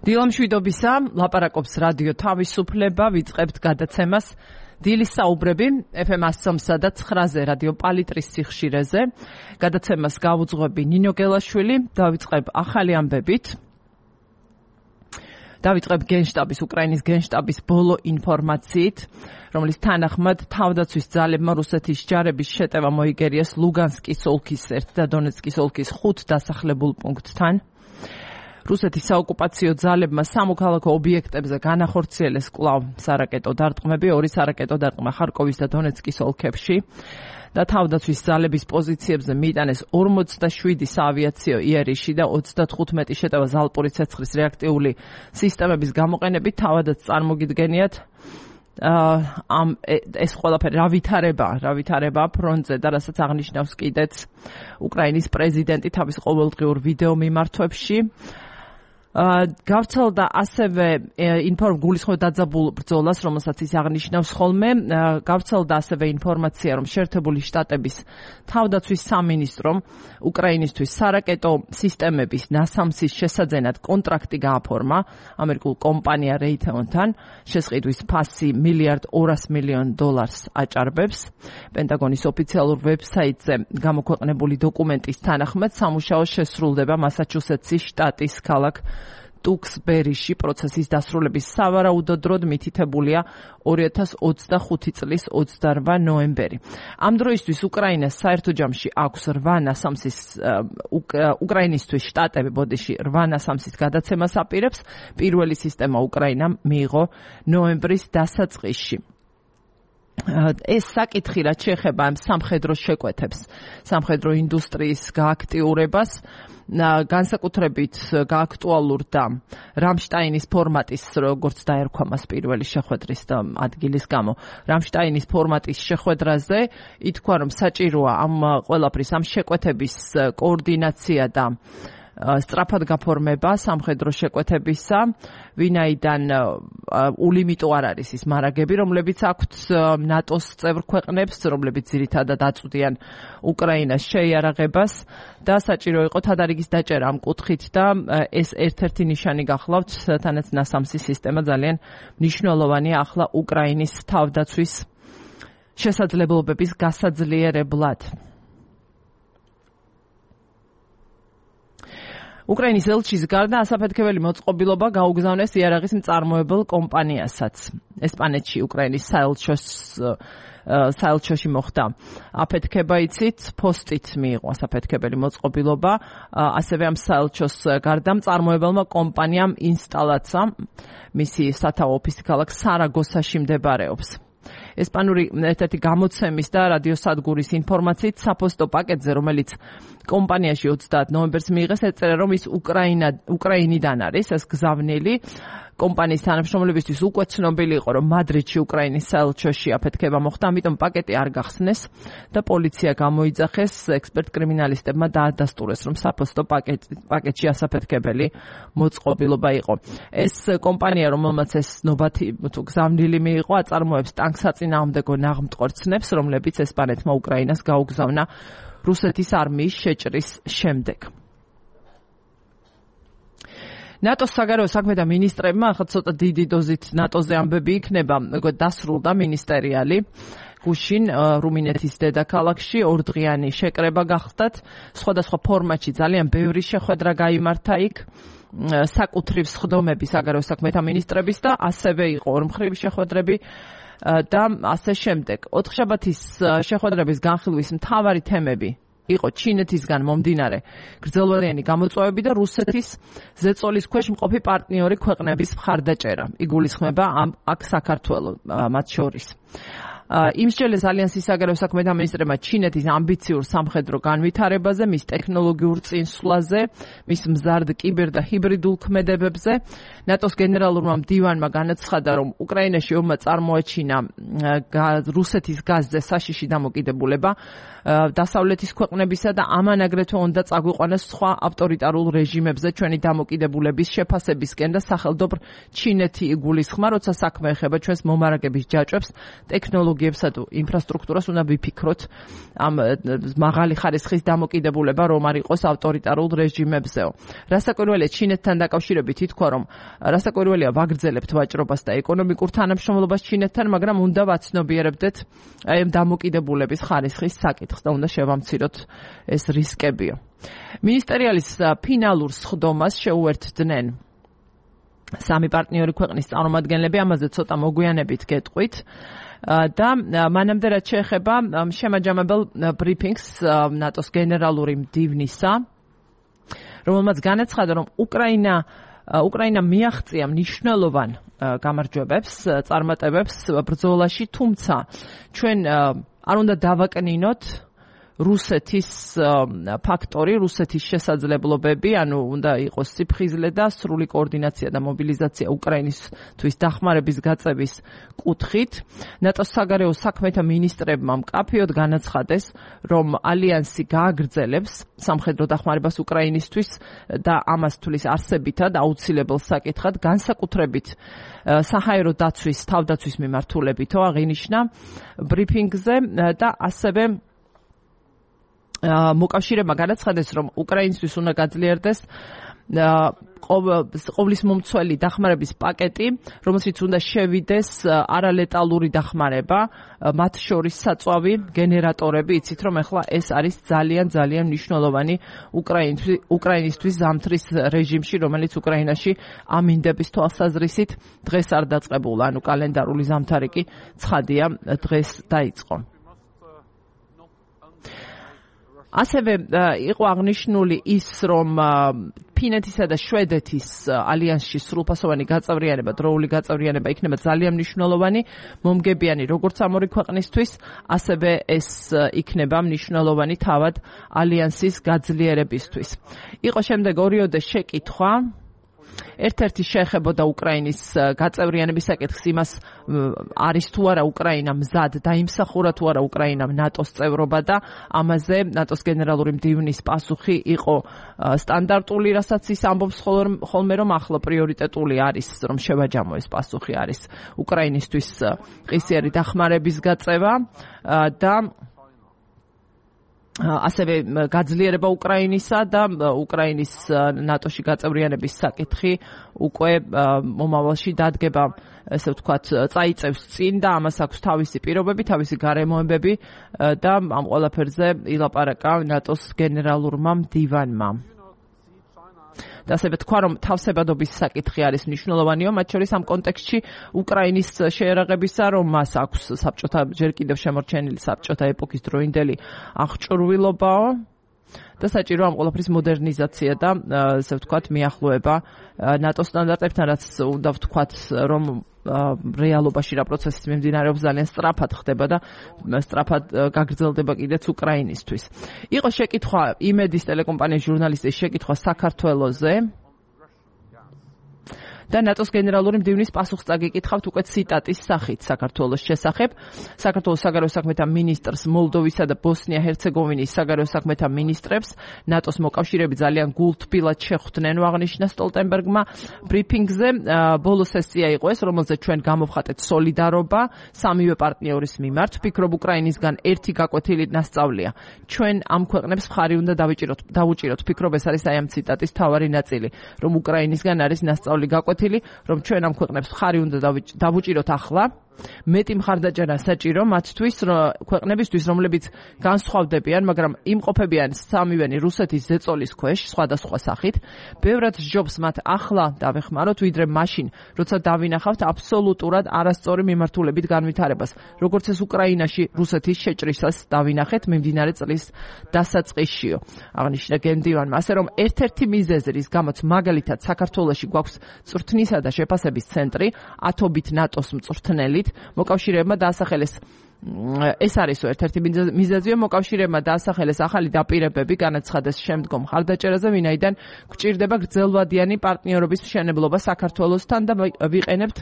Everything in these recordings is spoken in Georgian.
დილამშვიდობისა, ლაპარაკობს რადიო თავისუფლება, ვიწყებთ გადაცემას დილის საუბრები FM 103 და 9-ზე რადიო პალიტრის სიხშირეზე. გადაცემას გავუძღვები ნინო გელაშვილი, დავიწყებ ახალი ამბებით. დავიწყებ გენშტაბის, უკრაინის გენშტაბის ბოლო ინფორმაციით, რომლის თანახმად თავდაცვის ძალებმა რუსეთის ჯარების შეტევა მოიგერიეს ლუგანსკის ოლქის 1 და დონეცკის ოლქის 5 დასახლებულ პუნქტთან. რუსეთის საოკუპაციო ძალებმა სამოქალაქო ობიექტებზე განახორციელეს კვლავ სარაკეტო დარტყმები, 2 სარაკეტო დარტყმა ხარკოვის და დონეცკის ოლქებში და თავდაცვის ძალების პოზიციებზე მიიტანეს 47 საავიაციო იერიში და 35 შეტევა ზალპური ცეცხლის რეაქტიული სისტემების გამოყენებით. თავადაც წარმოგიდგენიათ ეს ყველაფერი რა ვითარება ფრონტზე და რასაც აღნიშნავს კიდეც უკრაინის პრეზიდენტი თავის ყოველდღიურ ვიდეო მიმართვებში. გავრცელდა ასევე გულისხმობ დაძაბულ ბრძოლას, რომელსაც ის აღნიშნავს ხოლმე. გავრცელდა ასევე ინფორმაცია, რომ შეერთებული შტატების თავდაცვის სამინისტრომ უკრაინისთვის სარაკეტო სისტემების ნასამსის შესაძენად კონტრაქტი გააფორმა ამერიკულ კომპანია Raytheon-თან. შესყიდვის ფასი $1.2 მილიარდ აჭარბებს. პენტაგონის ოფიციალურ ვებსაიტზე გამოქვეყნებული დოკუმენტის თანახმად სამუშაო შესრულდება მასაჩუსეტსის შტატის ქალაქ ტუქსბერიში. პროცესის დასრულების სავარაუდო დროდ მითითებულია 2025 წლის 28 ნოემბერი. ამ დროისთვის უკრაინას საერთო ჯამში აქვს 8 ნასამსის უკრაინისთვის შტატები 8 ნასამსის გადაცემას აპირებს. პირველი სისტემა უკრაინამ მიიღო ნოემბრის დასაწყისში. ეს საკითხი რაც შეეხება ამ სამხედრო შეკვეთებს, სამხედრო ინდუსტრიის გააქტიურებას, განსაკუთრებით გააქტუალურდა რამშტაინის ფორმატის, როგორც დაერქვა მას პირველი შეხვედრის ადგილის გამო, რამშტაინის ფორმატის შეხვედრაზე ითქვა, რომ საჭიროა ამ ყველაფრის, ამ შეკვეთების კოორდინაცია და სწრაფად გაფორმება სამხედრო შეკვეთებისა, ვინაიდან ულიმიტო არ არის ის მარაგები, რომლებიც აქვთ ნატოს წევრ ქვეყნებს, რომლებიც ძირითადად აწვდიან უკრაინას შეიარაღებას და საჭირო იყო თადარიგის დაჭერა ამ კუთხით და ეს ერთ-ერთი ნიშანი გახლავთ, თანაც ნასამსის სისტემა ძალიან მნიშვნელოვანია ახლა უკრაინის თავდაცვის შესაძლებლობების გასაძლიერებლად. უკრაინის ელჩის გარდა ასაფეთქებელი მოწყობილობა გაუგზავნეს იარაღის მწარმოებელ კომპანიასაც. ესპანეთში უკრაინის საელჩოში მოხდა აფეთქება, იცით, პოსტით მიიღო ასაფეთქებელი მოწყობილობა, ასევე ამ საელჩოს გარდა მწარმოებელმა კომპანიამ ინსტალაცა, მისი სათაო ოფისი ქალაქ სარაგოსაში მდებარეობს. ესპანური ერთ-ერთი გამოცემის და რადიოსადგურის ინფორმაციით საფოსტო პაკეტზე, რომელიც კომპანიაში 30 ნოემბერს მიიღეს, ეწერა, რომ ის უკრაინიდან არის, ეს გზავნილი. კომპანიის თანამშრომლებისთვის უკვე ცნობილი იყო, რომ მადრიდში უკრაინის საელჩოში აფეთქება მოხდა, ამიტომ პაკეტი არ გახსნეს და პოლიცია გამოიძახეს, ექსპერტ კრიმინალისტებმა დაადასტურეს, რომ საფოსტო პაკეტში ასაფეთქებელი მოწყობილობა იყო. ეს კომპანია, რომელმაც ეს ნობათი გზავნილი მიიღო, აწარმოებს ტანკსაწინააღმდეგო ნაღმტყორცნებს, რომლებიც ესპანეთმა უკრაინას გაუგზავნა რუსეთის არმიის შეჭრის შემდეგ. ნატოს საგარეო საქმეთა მინისტრებმა ახლა ცოტა დიდი დოზით ნატოზე ამბები იქნება, დასრულდა მინისტერიალი გუშინ რუმინეთის დედაქალაქში, 2 დღიანი შეკრება გახდათ, სხვადასხვა ფორმატში ძალიან ბევრი შეხვედრა გაიმართა იქ, საკუთრივ სხდომები საგარეო საქმეთა მინისტრების და ასევე იყო ორმხრივი შეხვედრები და ასე შემდეგ. 4-შაბათის შეხვედრების განხილვის მთავარი თემები იყო ჩინეთისგან მომდინარე გრძელვადიანი გამოწვევები და რუსეთის ზეწოლის ქვეშ მყოფი პარტნიორი ქვეყნების მხარდაჭერა. იგულისხმება აქ საქართველო მათ შორის. იმსჯელეს ალიანსის საგარეო საქმეთა მინისტრებმა ჩინეთის ამბიციურ სამხედრო განვითარებაზე, მის ტექნოლოგიურ წინსვლაზე, მის მზარდ კიბერ და ჰიბრიდულ ქმედებებზე. ნატოს გენერალურმა მდივანმა განაცხადა, რომ უკრაინაში ომმა წარმოაჩინა რუსეთის გაზზე საშიში დამოკიდებულება დასავლეთის ქვეყნებისა და ამან აგრეთვე უნდა წაგვიყვანოს სხვა ავტორიტარულ რეჟიმებზე ჩვენი დამოკიდებულების შეფასებისკენ და სახელმწიფო ჩინეთი იგულისხმა, როცა საქმე ეხება ჩვენს მომარაგების ჯაჭვებს, ტექნოლოგიურ ტექნოლოგიებსა თუ ინფრასტრუქტურას უნდა ვიფიქროთ ამ მაღალი ხარისხის დამოკიდებულება რომ არ იყოს ავტორიტარულ რეჟიმებზეო. რასაკვირველია ჩინეთთან დაკავშირებით ითქვა რომ რასაკვირველია ვაგრძელებთ ვაჭრობას და ეკონომიკურ თანამშრომლობას ჩინეთთან, მაგრამ უნდა ვაცნობიერებდეთ აი ამ დამოკიდებულების ხარისხის საკითხს და უნდა შევამციროთ ეს რისკებიო. მინისტერიალის ფინალურ სხდომას შეუერთდნენ სამი პარტნიორი ქვეყნის წარმომადგენლები, ამაზე ცოტა მოგვიანებით გეტყვით. და მანამდე რაც შეეხება შემაჯამებელ ბრიფინგს ნატოს გენერალური მდივნისა, რომელმაც განაცხადა, რომ უკრაინა მიაღწია მნიშვნელოვან გამარჯვებებს, წარმატებებს ბრძოლაში, თუმცა ჩვენ არ უნდა დავაკნინოთ რუსეთის ფაქტორი, რუსეთის შესაძლებლობები, ანუ უნდა იყოს სიფხიზლე და სრული კოორდინაცია და მობილიზაცია უკრაინისთვის დახმარების გაწევის კუთხით. ნატოს საგარეო საქმეთა მინისტრებმა მკაფიოდ განაცხადეს, რომ ალიანსი გააგრძელებს სამხედრო დახმარებას უკრაინისთვის და ამას თulis არსებითად აუცილებელ საკითხად, განსაკუთრებით საჰაერო დაცვის, თავდაცვის მიმართულებითო აღინიშნა ბრიფინგზე და ასევე მოკავშირეებმა განაცხადეს, რომ უკრაინისთვის უნდა გაძლიერდეს ყოვლის მომცველი დახმარების პაკეტი, რომელშიც უნდა შევიდეს არალეტალური დახმარება, მათ შორის საწვავი გენერატორები, იცით რომ ახლა ეს არის ძალიან მნიშვნელოვანი უკრაინისთვის ზამთრის რეჟიმში, რომელიც უკრაინაში ამინდების თვალსაზრისით დღეს არ დაწყებულა, ანუ კალენდარული ზამთარი კი ცხადია დღეს დაიწყო. ასევე იყო აღნიშნული ის, რომ ფინეთისა და შვედეთის ალიანსში სრულფასოვანი გაწევრიანება, დროული გაწევრიანება იქნება ძალიან მნიშვნელოვანი, მომგებიანი როგორც ამ ორი ქვეყნისთვის, ასევე ეს იქნება მნიშვნელოვანი თავად ალიანსის გაძლიერებისთვის. იყო შემდეგ ორიოდე შეკითხვა. ერთ-ერთი შეეხებოდა უკრაინის გაწევრიანების საკითხს, იმას არის თუ არა უკრაინა მზად დაიმსახურა თუ არა უკრაინამ ნატოს წევრობა და ამაზე ნატოს გენერალური მდივნის პასუხი იყო სტანდარტული, რასაც ის ამბობს ხოლმე, რომ ახლა პრიორიტეტული არის, რომ შევაჯამო ეს პასუხი არის უკრაინისთვის ყისიერი დახმარების გაწევა და ასევე გაძლიერება უკრაინისა და უკრაინის ნატოში გაწევრიანების საკითხი უკვე მომავალში დადგება, ესე ვთქვათ, წაიწევს წინ და ამას აქვს თავისი პირობები, თავისი გარემოებები და ამ ყველაფერზე ილაპარაკა ნატოს გენერალურმა მდივანმა. და ასევე თქვა, რომ თავსებადობის საკითხი არის მნიშვნელოვანიო, მათ შორის ამ კონტექსტში უკრაინის შეერაღებისა, რომ მას აქვს საბჭოთა ჯერ კიდევ შემორჩენილი საბჭოთა ეპოქის დროინდელი აღჭურვილობაო და საჭირო ამ ყველაფრის მოდერნიზაცია და ასე ვთქვათ, მიახლოება ნატოს სტანდარტებთან, რაც უნდა ვთქვათ, რომ რეალობაში რა პროცესი მიმდინარეობს ძალიან სწრაფად ხდება და სწრაფად გაგრძელდება კიდეც უკრაინისთვის. იყო შეკითხვა იმედის ტელეკომპანიის ჟურნალისტის შეკითხვა საქართველოზე და ნატოს გენერალური მდივნის პასუხს წაგიკითხავთ უკვე ციტატის სახით საქართველოს შესახებ. საქართველოს საგარეო საქმეთა მინისტრს, მოლდოვისა და ბოსნია-ჰერცეგოვინის საგარეო საქმეთა მინისტრებს ნატოს მოკავშირეები ძალიან გულთბილად შეხვდნენ, აღნიშნა სტოლტენბერგმა ბრიფინგზე. ბოლო სესია იყო ეს, რომელზეც ჩვენ გამოვხატეთ სოლიდარობა სამივე პარტნიორის მიმართ. ვფიქრობ, უკრაინისგან ერთი გაკვეთილი ნასწავლია. ჩვენ ამ ქვეყნებს მხარი უნდა დავუჭიროთ. ვფიქრობ, ეს არის აი ამ ციტატის მთავარი ნაწილი, რომ უკრაინისგან არის ნასწავლი გაკვეთილი, რომ ჩვენ ამ ქვეყნებს მხარი უნდა დავუჭიროთ ახლა. მეტი მხარდაჭერა საჭირო მათთვის ქვეყნებისთვის, რომლებიც განსხვავდებიან, მაგრამ იმყოფებიან სამივენი რუსეთის ზეწოლის ქვეშ სხვადასხვა სახით. ბევრად სჯობს მათ ახლა დავეხმაროთ, ვიდრე მაშინ, როცა დავინახავთ აბსოლუტურად არასწორი მიმართულებით განვითარებას, როგორც ეს უკრაინაში რუსეთის შეჭრისას დავინახეთ მიმდინარე წლის დასაწყისშიო. აღნიშნა გენდივანმა, ასე რომ ერთ-ერთი მიზეზი, რის გამოც მაგალითად საქართველოში გვაქვს წვრთნისა და შეფასების ცენტრი, ათობით ნატოს მწვრთნელით, მოკავშირეებმა დაასახელეს ეს არის ერთ-ერთი მიზეზია, მოკავშირეებმა დაასახელეს ახალი დაპირებები, განაცხადეს შემდგომ მხარდაჭერაზე, ვინაიდან გვჭირდება გრძელვადიანი პარტნიორობის მშენებლობა საქართველოსთან და ვიყენებთ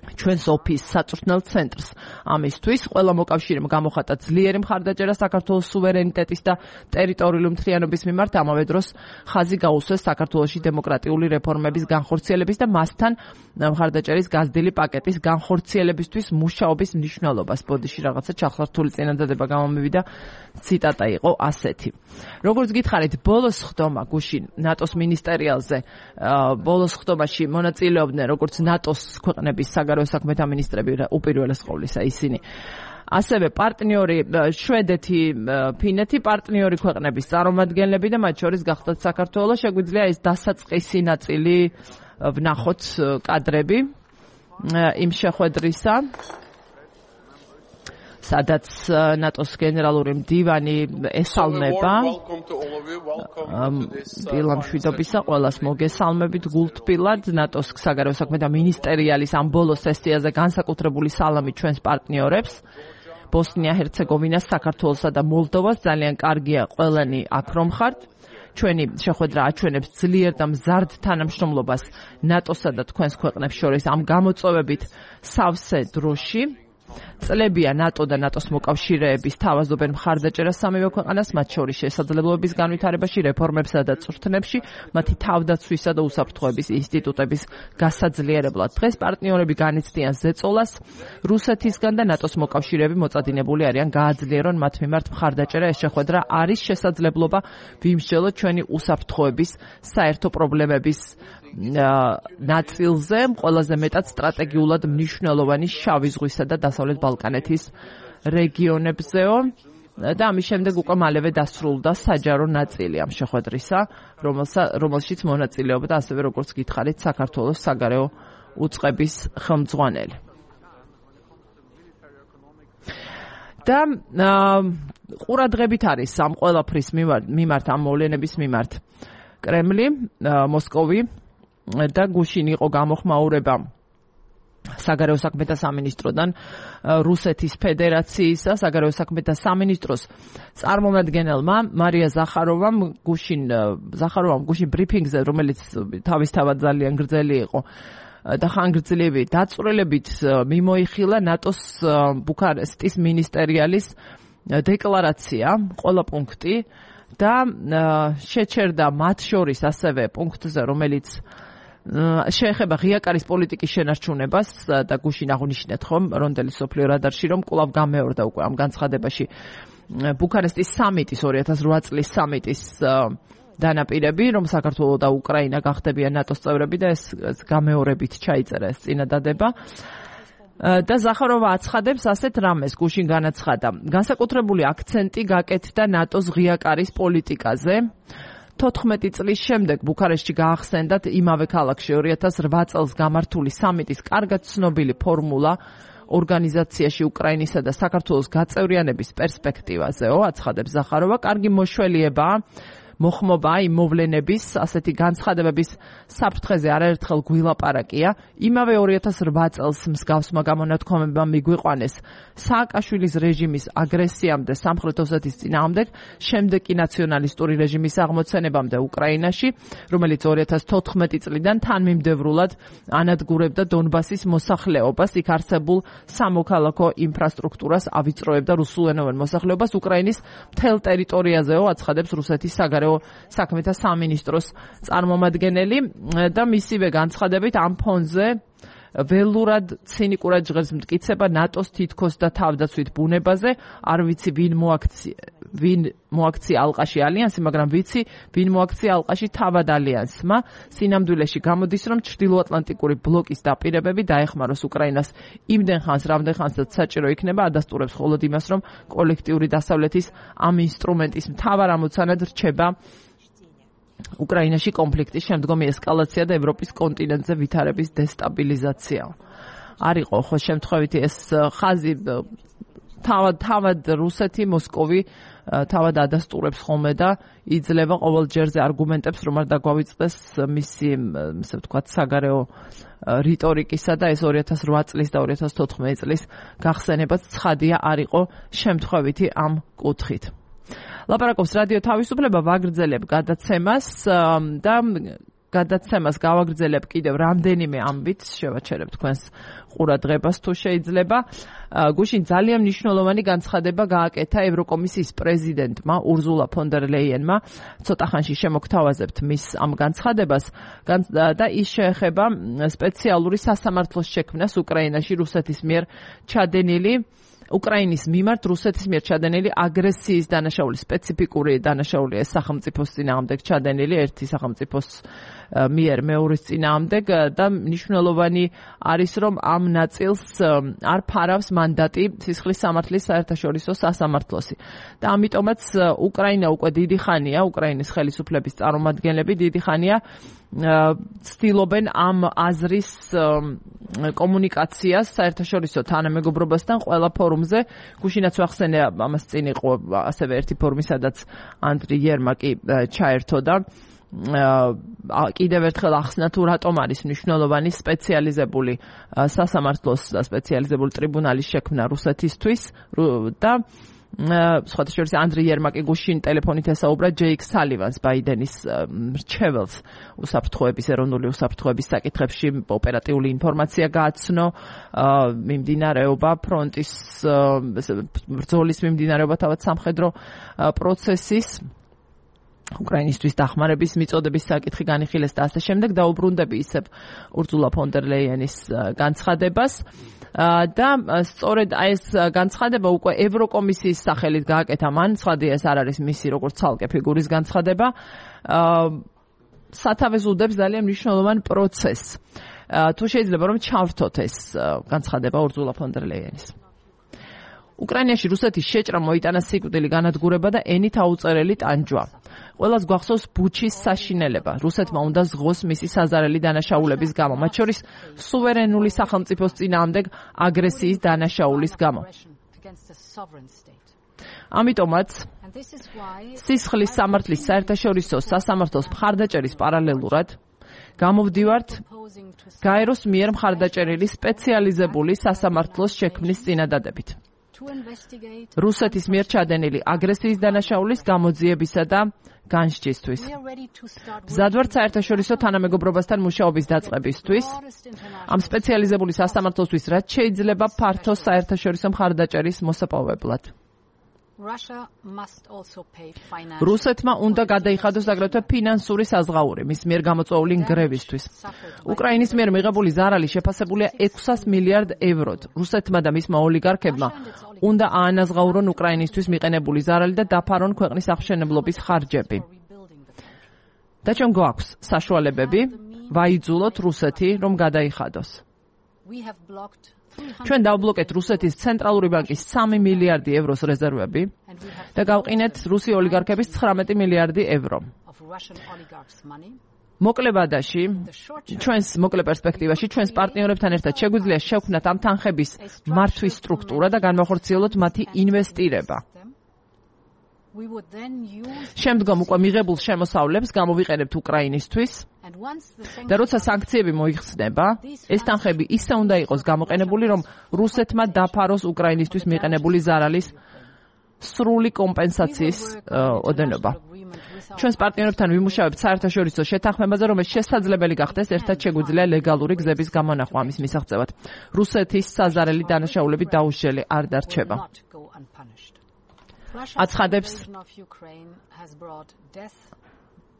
ჩვენს ოფისს საწვრთნელ ცენტრს. ამისთვის ყველა მოკავშირემ გამოხატა ძლიერი მხარდაჭერა საქართველოს სუვერენიტეტის და ტერიტორიული მთლიანობის მიმართ, ამავე დროს ხაზი გაუსვეს საქართველოში დემოკრატიული რეფორმების განხორციელების და მასთან მხარდაჭერის გაზრდილი პაკეტის განხორციელებისთვის მუშაობის მნიშვნელობას. ბოდიში რაღაცა ჩახლართული წინადადება გამომივიდა, ციტატა იყო ასეთი. როგორც გითხარით, ბოლოს ხდომა გუშინ ნატოს მინისტერიალზე, ბოლოს ხდომაში მონაწილეობდნენ როგორც ნატოს ქვეყნების საგარეო საქმეთა მინისტრები უპირველეს ყოვლისა ისინი. ასევე პარტნიორი შვედეთი, ფინეთი, პარტნიორი ქვეყნების წარმომადგენლები და მათ შორის გახდათ საქართველოს. შეგვიძლია ეს დასაწყისი ნაწილი ვნახოთ კადრები იმ შეხვედრისა, სადაც ნატოს გენერალური მდივანი ესალმება დილამშვიდობისა ყველას მოგესალმებით გულთბილად ნატოს საგარეო საქმეთა მინისტერიალის ამ ბოლოს სესიაზე განსაკუთრებული სალამი ჩვენს პარტნიორებს ბოსნია-ჰერცეგოვინას, საქართველოსა და მოლდოვას. ძალიან კარგია ყველანი აქ რომ ხართ. ჩვენი შეხვედრა აჩვენებს ძლიერ და მზარდ თანამშრომლობას ნატოსა და თქვენს ქვეყნებს შორის ამ გამოწვევებით სავსე დროში. წლებია ნატო და ნატოს მოკავშირეების თავაზობენ მხარდაჭერას სამივე ქვეყანას, მათ შორის შესაძლებლობების განვითარებაში, რეფორმებსა და წვრთნებში, მათი თავდაცვისა და უსაფრთხოების ინსტიტუტების გასაძლიერებლად. დღეს პარტნიორები განიცდიან ზეწოლას რუსეთისგან და ნატოს მოკავშირეები მოწადინებული არიან გააძლიერონ მათ მიმართ მხარდაჭერა. ეს შეხვედრა არის შესაძლებლობა ვიმსჯელოთ ჩვენი უსაფრთხოების საერთო პრობლემების ნაწილზე, ყველაზე მეტად სტრატეგიულად მნიშვნელოვანი შავი ზღვისა და დასავლეთ ბალკანეთის რეგიონებზეო. და ამის შემდეგ უკვე მალევე დასრულდა საჯარო ნაწილი ამ შეხვედრისა, რომელშიც მონაწილეობდა ასევე როგორც გითხარით საქართველოს საგარეო უწყების ხელმძღვანელი. და ყურადღებით არის ამ ყველაფრის მიმართ, ამ მოვლენების მიმართ კრემლი, მოსკოვი და გუშინ იყო გამოხმაურება საგარეო საქმეთა სამინისტროდან რუსეთის ფედერაციისა საგარეო საქმეთა სამინისტროს წარმომადგენელმა მარია ზახაროვამ გუშინ ბრიფინგზე, რომელიც თავისთავად ძალიან გრძელი იყო და ხანგრძლივი დაწვრილებით მიმოიხილა ნატოს ბუქარესტის მინისტერიალის დეკლარაცია, ყველა პუნქტი და შეჩერდა მათ შორის ასევე პუნქტზე, რომელიც შეეხება ღია კარის პოლიტიკის შენარჩუნებას და გუშინ აღნიშნეთ ხომ რონდელის სოფლიო რადარში, რომ კვლავ გამეორდა უკვე ამ განცხადებაში ბუქარესტის სამიტის 2008 წლის სამიტის დანაპირები, რომ საქართველო და უკრაინა გახდებიან ნატოს წევრები და ეს გამეორებით ჩაიწერა ეს წინადადება. და ზახაროვა აცხადებს ასეთ რამეს, გუშინ განაცხადა. განსაკუთრებული აქცენტი გაკეთდა ნატოს ღია კარის პოლიტიკაზე. 14 წლის შემდეგ ბუქარესტში გაახსენდათ იმავე ქალაქში 2008 წელს გამართული სამიტის კარგად ცნობილი ფორმულა ორგანიზაციაში უკრაინისა და საქართველოს გაწევრიანების პერსპექტივაზეო, აცხადებს ზახაროვა. კარგი მოშველიებაა მოხმობა იმ მოვლენების, ასეთი განცხადებების საფრთხეზე არაერთხელ გვილაპარაკია. იმავე 2008 წელს მსგავსმა გამონათქვამებამ მიგვიყვანეს სააკაშვილის რეჟიმის აგრესიამდე სამხრეთ ოსეთის წინააღმდეგ, შემდეგ კი ნაციონალისტური რეჟიმის აღმოცენებამდე უკრაინაში, რომელიც 2014 წლიდან თანმიმდევრულად ანადგურებდა დონბასის მოსახლეობას, იქ არსებულ სამოქალაქო ინფრასტრუქტურას ავიწროებდა რუსულენოვან მოსახლეობას უკრაინის მთელ ტერიტორიაზეო, აცხადებს რუსეთის საგარეო საქმეთა სამინისტროს წარმომადგენელი და მისივე განცხადებით ამ ფონზე ველურად ცინიკურად ჟღერს მტკიცება ნატოს თითქოს და თავდაცვით ბუნებაზე. არ ვიცი ვინ მოაქცია ალყაში ალიანსი, მაგრამ ვიცი ვინ მოაქცია ალყაში თავად ალიანსმა. სინამდვილეში გამოდის, რომ ჩრდილოატლანტიკური ბლოკის დაპირებები დაეხმაროს უკრაინას იმდენ ხანს, რამდენ ხანსაც საჭირო იქნება, ადასტურებს მხოლოდ იმას, რომ კოლექტიური დასავლეთის ამ ინსტრუმენტის მთავარ ამოცანად რჩება უკრაინაში კონფლიქტის შემდგომი ესკალაცია და ევროპის კონტინენტზე ვითარების დესტაბილიზაცია. არ იყო ხო შემთხვევითი ეს ხაზი თავად რუსეთი, მოსკოვი თავად ადასტურებს ხოლმე და იძლევა ყოველ ჯერზე არგუმენტებს, რომ არ დაგვავიწყდეს მისი, ასე ვთქვათ, საგარეო რიტორიკისა და ეს 2008 წლის და 2014 წლის გახსენებაც ცხადია არ იყო შემთხვევითი ამ კუთხით. ლაპარაკობს რადიო თავისუფლება, ვაგრძელებ გადაცემას და გადაცემას გავაგრძელებ კიდევ რამდენიმე ამბით, შევაჩერებ თქვენს ყურადღებას თუ შეიძლება. გუშინ ძალიან მნიშვნელოვანი განცხადება გააკეთა ევროკომისიის პრეზიდენტმა ურზულა ფონ დერ ლეიენმა. ცოტა ხანში შემოგთავაზებთ მის ამ განცხადებას და ის შეეხება სპეციალური სასამართლოს შექმნას უკრაინაში რუსეთის მიერ ჩადენილი უკრაინის მიმართ რუსეთის მიერ ჩადენილი აგრესიის დანაშაული, სპეციფიკური დანაშაულია ეს სახელმწიფოს წინააღმდეგ ჩადენილი ერთი სახელმწიფოს მიერ მეორის წინააღმდეგ და მნიშვნელოვანი არის რომ ამ ნაწილს არ ფარავს მანდატი სისხლის სამართლის საერთაშორისო სასამართლოსი და ამიტომაც უკრაინა უკვე დიდი ხანია უკრაინის ხელისუფლების წარმომადგენლები დიდი ხანია ცდილობენ ამ აზრის კომუნიკაციას საერთაშორისო თანამეგობრობასთან ყველა ფორუმზე. გუშინაც ვახსენე ამას წინ იყო ასევე ერთი ფორუმი, სადაც ანდრი იერმაკი ჩაერთო და კიდევ ერთხელ ახსნა თუ რატომ არის მნიშვნელოვანი სპეციალიზებული სასამართლოს და სპეციალიზებული ტრიბუნალის შექმნა რუსეთისთვის და სხვათა შორის ანდრი იერმაკი გუშინ ტელეფონით ესაუბრა ჯეიკ სალივანს ბაიდენის მრჩეველს ეროვნული უსაფრთხოების საკითხებში ოპერატიული ინფორმაცია გააცნო მიმდინარეობა ფრონტის ბრძოლის მიმდინარეობა თავად სამხედრო პროცესის უკრაინისთვის დახმარების მიწოდების საკითხი განიხილეს და ასე შემდეგ დაუბრუნდები ისევ ურზულა ფონ დერ ლეიენის განცხადებას და სწორედ ეს განცხადება უკვე ევროკომისიის სახელით გააკეთა მან, ცხადია ეს არ არის მისი როგორც ცალკე ფიგურის განცხადება, სათავეს უდებს ძალიან მნიშვნელოვან პროცესს. თუ შეიძლება რომ ჩავრთოთ ეს განცხადება ურზულა ფონ დერ ლეიენის. უკრაინაში რუსეთის შეჭრა მოიტანა სიკვდილი განადგურება და ენით აუწერელი ტანჯვა. ყველას გვახსოვს ბუჩის საშინელება. რუსეთმა უნდა ზღოს მისი საზარელი დანაშაულების გამო, მათ შორის სუვერენული სახელმწიფოს წინააღმდეგ აგრესიის დანაშაულის გამო. ამიტომაც სისხლის სამართლის საერთაშორისო სასამართლოს მხარდაჭერის პარალელურად გამოვდივართ გაეროს მიერ მხარდაჭერილი სპეციალიზებული სასამართლოს შექმნის წინადადებით. რუსეთის მიერ ჩადენილი აგრესიის დანაშაულის გამოძიებისა და განსჯისთვის. მზადვართ საერთაშორისო თანამეგობრობასთან მუშაობის დაწყებისთვის, ამ სპეციალიზებული სასამართლოსთვის რაც შეიძლება ფართო საერთაშორისო მხარდაჭერის მოსაპოვებლად. რუსეთმა უნდა გადაიხადოს აგრეთვე ფინანსური საზღაური მის მიერ გამოწვეული ნგრევისთვის. უკრაინის მიერ მიღებული ზარალი შეფასებულია 600 მილიარდ ევროდ. რუსეთმა და მისმა ოლიგარქებმა უნდა აანაზღაურონ უკრაინისთვის მიყენებული ზარალი და დაფარონ ქვეყნის აღმშენებლობის ხარჯები. და ჩვენ გვაქვს საშუალებები ვაიძულოთ რუსეთი რომ გადაიხადოს. ჩვენ დავბლოკეთ რუსეთის ცენტრალური ბანკის 3 მილიარდი ევროს რეზერვები და გავყინეთ რუსი ოლიგარქების 19 მილიარდი ევრო. მოკლევადაში, ჩვენს მოკლე პერსპექტივაში, ჩვენს პარტნიორებთან ერთად შეგვიძლია შევქმნათ ამ თანხების მართვის სტრუქტურა და განვახორციელოთ მათი ინვესტირება. შემდგომ უკვე მიღებულ შემოსავლებს გამოვიყენებთ უკრაინისთვის და როცა სანქციები მოიხსნება, ეს თანხები ისე უნდა იყოს გამოყენებული, რომ რუსეთმა დაფაროს უკრაინისთვის მიყენებული ზარალის სრული კომპენსაციის ოდენობა. ჩვენს პარტნიორებთან ვიმუშავებთ საერთაშორისო შეთანხმებაზე, რომელიც შესაძლებელი გახდეს ერთად შეგვიძლია ლეგალური გზების გამონახვა ამის მისაღწევად. რუსეთის საზარელი დანაშაულები დაუშლელი არ დარჩება.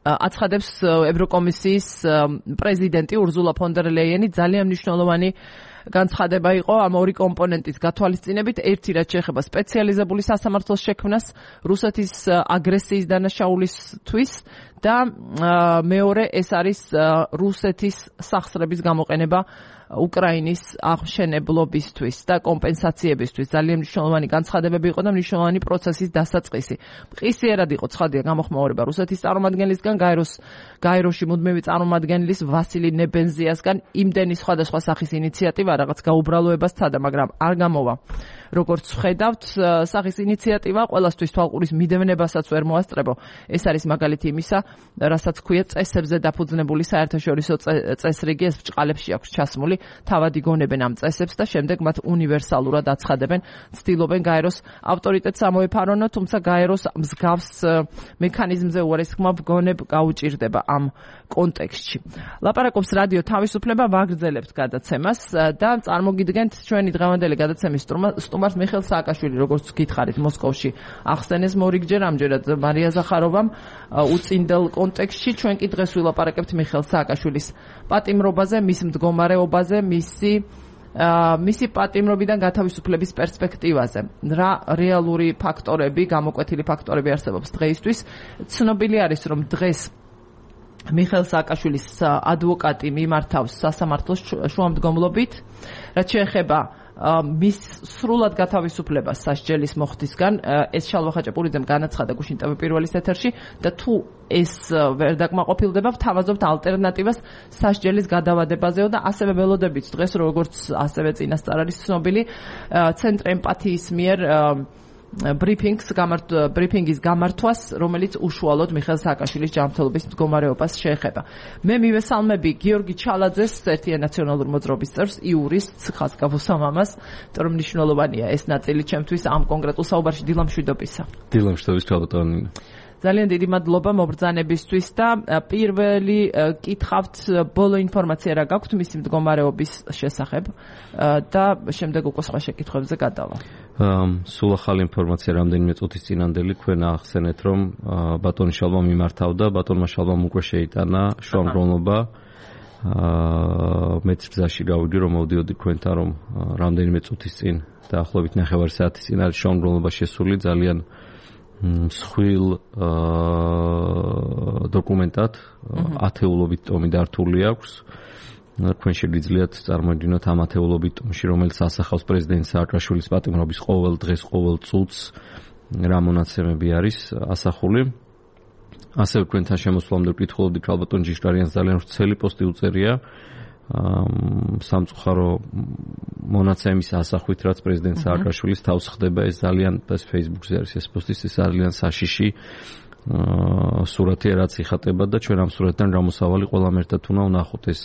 აცხადებს ევროკომისიის პრეზიდენტი ურზულა ფონ დერ ლეიენი. ძალიან მნიშვნელოვანი განცხადება იყო ამ ორი კომპონენტის გათვალისწინებით. ერთი რაც შეეხება სპეციალიზებული სასამართლოს შექმნას რუსეთის აგრესიის დანაშაულისთვის და მეორე ეს არის რუსეთის სახსრების გამოყენება უკრაინის აღმშენებლობისთვის და კომპენსაციებისთვის. ძალიან მნიშვნელოვანი განცხადებები იყო და მნიშვნელოვანი პროცესის დასაწყისი. მყისიერად იყო ცხადია გამოხმაურება რუსეთის წარმომადგენლისგან, გაეროში მუდმივი წარმომადგენლის ვასილი ნებენზიასგან იმდენი სხვადასხვა სახის ინიციატივა რაღაც გაუბრალოებას სცადა, მაგრამ არ გამოვა. როგორც ხედავთ, სახის ინიციატივა ყველასთვის თვალყურის მიდევნებასაც ვერ მოასწრებო. ეს არის მაგალითი იმისა, რასაც ქვია წესებზე დაფუძნებული საერთაშორისო წესრიგი, ეს ბრჭყალებში აქვს ჩასმული, თავად იგონებენ ამ წესებს და შემდეგ მათ უნივერსალურად აცხადებენ, ცდილობენ გაეროს ავტორიტეტს ამოეფარონო, თუმცა გაეროს მსგავს მექანიზმზე უარესხმა ვგონებ გაუჭირდება ამ კონტექსტში. ლაპარაკობს რადიო თავისუფლება, ვაგრძელებთ გადაცემას და წარმოგიდგენთ ჩვენი დღევანდელი გადაცემის სტუმარს მიხეილ სააკაშვილი, როგორც გითხარით, მოსკოვში ახსენეს მორიგჯერ, ამჯერად მარია ზახაროვამ უწინდელ კონტექსტში. ჩვენ კი დღეს ვილაპარაკებთ მიხეილ სააკაშვილის პატიმრობაზე, მის მდგომარეობაზე, მისი პატიმრობიდან გათავისუფლების პერსპექტივაზე. რა რეალური ფაქტორები, გამოკვეთილი ფაქტორები არსებობს დღეისთვის? ცნობილი არის, რომ დღეს მიხეილ სააკაშვილის ადვოკატი მიმართავს სასამართლოს შუამდგომლობით, რაც შეეხება მის სრულად გათავისუფლებას სასჯელის მოხდისგან. ეს შალვა ხაჭაპურიძემ განაცხადა გუშინ ტv პირველის ეთერში და თუ ეს ვერ დაკმაყოფილდება, ვთავაზობთ ალტერნატივას სასჯელის გადავადებაზეო და ასევე ველოდებით დღეს, როგორც ასევე წინასწარ არის ცნობილი, ცენტრ ემპათიის მიერ ბრიფინგის გამართვას, რომელიც უშუალოდ მიხეილ სააკაშვილის ჯანმრთელობის მდგომარეობას შეეხება. მე მივესალმები გიორგი ჩალაძეს, ერთიან ნაციონალურ მოძრაობის წევრს, იურისტს, ხაზგავსა მამას, რომ მნიშვნელოვანია ეს ნაწილი ჩემთვის ამ კონკრეტულ საუბარში. დილამშვიდობისა. დილამშვიდობის ქალბატონი. ძალიან დიდი მადლობა მობრძანებისთვის და პირველი კითხავთ, ბოლო ინფორმაცია რა გაქვთ მისი მდგომარეობის შესახებ და შემდეგ უკვე სხვა შეკითხვებზე გადავა. სულ ახალი ინფორმაცია რამდენიმე წუთის წინანდელი ქვენ ახსენეთ, რომ ბატონი შალვა მიმართავდა, ბატონმა შალვამ უკვე შეიტანა შუამდგომლობა. მეც გზაში გავიდი, რომ მოვდიოდი ქვენთან, რომ რამდენიმე წუთის წინ დაახლოებით 9 საათის წინ არის შუამდგომლობა შესული, ძალიან მსხვილ დოკუმენტად, ათეულობით ტომი დართული აქვს. თქვენ შეგიძლიათ წარმოიდგინოთ ამ ათეულობით ტომში, რომელიც ასახავს პრეზიდენტ სააკაშვილის პატიმრობის ყოველ დღეს, ყოველ წუთს რა მონაცემები არის ასახული. ასევე თქვენთან შემოსვლამდე ვკითხულობდი ქალბატონ ჯიშკარიანს ძალიან ვრცელი პოსტი უწერია სამწუხარო მონაცემის ასახვით, რაც პრეზიდენტ სააკაშვილის თავს ხდება, ეს ძალიან ეს Facebook-ზე არის ეს პოსტი, ეს ძალიან საშიში სურათია, რაც იხატება და ჩვენ ამ სურათთან გამოსავალი ყველამ ერთად უნდა ვნახოთ. ეს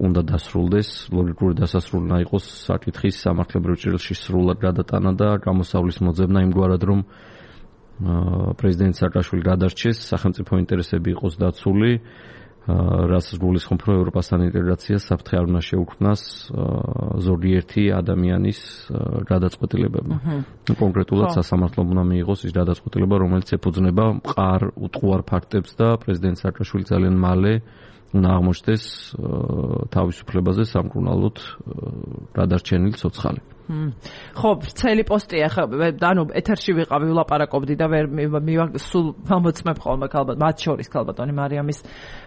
უნდა დასრულდეს, ლოგიკური დასასრული უნდა იყოს საკითხის სამართლებრივ ჭრილში სრულად გადატანა და გამოსავლის მოძებნა იმგვარად, რომ პრეზიდენტ სააკაშვილი გადარჩეს, სახელმწიფო ინტერესები იყოს დაცული, რასაც გულისხმობ, რომ ევროპასთან ინტეგრაციას საფრთხე არ უნდა შეუქმნას ზოგიერთი ადამიანის გადაწყვეტილებებმა. კონკრეტულად სასამართლომ უნდა მიიღოს ის გადაწყვეტილება, რომელიც ეფუძნება მყარ უტყუარ ფაქტებს და პრეზიდენტ სააკაშვილი ძალიან მალე უნდა აღმოჩნდეს თავისუფლებაზე სამკურნალოდ გადარჩენილი ცოცხალი. ხო, ვრცელი პოსტია, ანუ ეთერში ვიყავი, ვლაპარაკობდი და ვერ სულ მომწმებ ხოლმე მათ შორის ქალბატონი მარიამის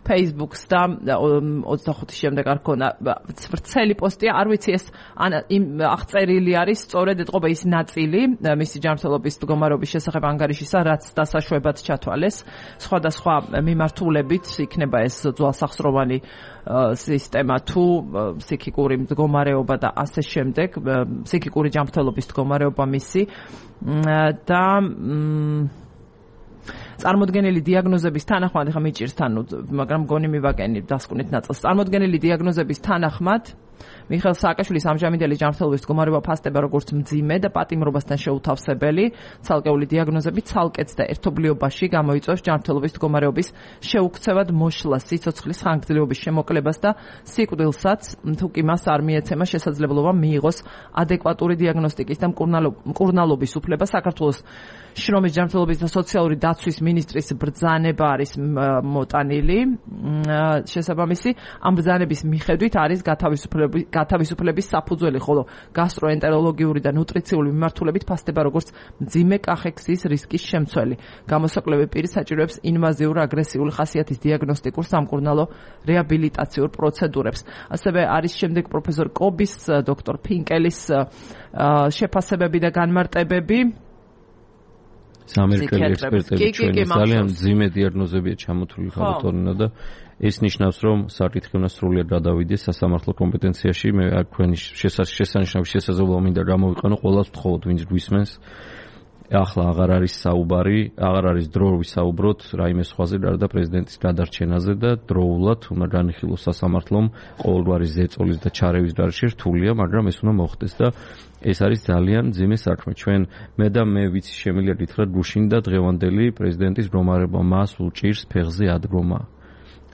Facebook-ს და 25-ის შემდეგ არ ქონა ვრცელი პოსტია, არ ვიცი ეს აღწერილი არის, სწორედ ეთყობა ის ნაწილი მისი ჯანმრთელობის მდგომარეობის შესახებ ანგარიშისა, რაც დასაშვებად ჩათვალეს, სხვადასხვა მიმართულებით იქნება ეს ძვალსახსროვანი სისტემა თუ ფსიქიკური მდგომარეობა და ასე შემდეგ, ფსიქიკური ჯანმრთელობის მდგომარეობა მისი და წარმოდგენილი დიაგნოზების თანახმად, ხა მიჭირს თან, მაგრამ მგონი მივაკენი დასკვნით ნაწილს. წარმოდგენილი დიაგნოზების თანახმად მიხეილ სააკაშვილის ამჟამინდელი ჯანმრთელობის მდგომარეობა ფასდება როგორც მძიმე და პატიმრობასთან შეუთავსებელი. ცალკეული დიაგნოზები ცალკეც და ერთობლიობაში გამოიწვევს ჯანმრთელობის მდგომარეობის შეუქცევად მოშლას, სიცოცხლის ხანგრძლივობის შემოკლებას და სიკვდილსაც, თუ კი მას არ მიეცემა შესაძლებლობა მიიღოს ადეკვატური დიაგნოსტიკის და მკურნალობის უფლება. საქართველოს შრომის, ჯანმრთელობის და სოციალური დაცვის მინისტრის ბრძანება არის მოტანილი. შესაბამისი, ამ ბრძანების მიხედვით არის გათავისუფლების საფუძველი, ხოლო გასტროენტეროლოგიური და ნუტრიციული მიმართულებით ფასდება როგორც მძიმე კახექსის რისკის შემცველი. გამოსაკვლევი პირი საჭიროებს ინვაზიურ აგრესიული ხასიათის დიაგნოსტიკურ სამკურნალო რეაბილიტაციურ პროცედურებს. ასევე არის შემდეგ პროფესორ კობის, დოქტორ ფინკელის შეფასებები და განმარტებები. ამერიკელი ექსპერტები ჩვენი ძალიან მძიმე დიაგნოზებია ჩამოთვლილი ხალხთორინა და ეს ნიშნავს, რომ საკითხი უნდა სრულიად გადავიდეს სასამართლო კომპეტენციაში. მე თქვენი შესანიშნავი შესაძლებლობა მინდა გამოვიყენო, ყველას ვთხოვოთ, ვინც გვისმენს. ახლა აღარ არის საუბარი, აღარ არის დრო ვისაუბროთ რაიმე სხვაზე, გარდა პრეზიდენტის გადარჩენაზე და დროულად უნდა განიხილოს სასამართლომ ყოველგვარი ზეწოლის და ჩარევის გარშე რთულია, მაგრამ ეს უნდა მოხდეს და ეს არის ძალიან მძიმე საქმე. ჩვენ მე და მე ვიცი შემიძლია გითხრათ გუშინ და დღევანდელი პრეზიდენტის რომარება მას უჭირს ფეხზე ადგომა.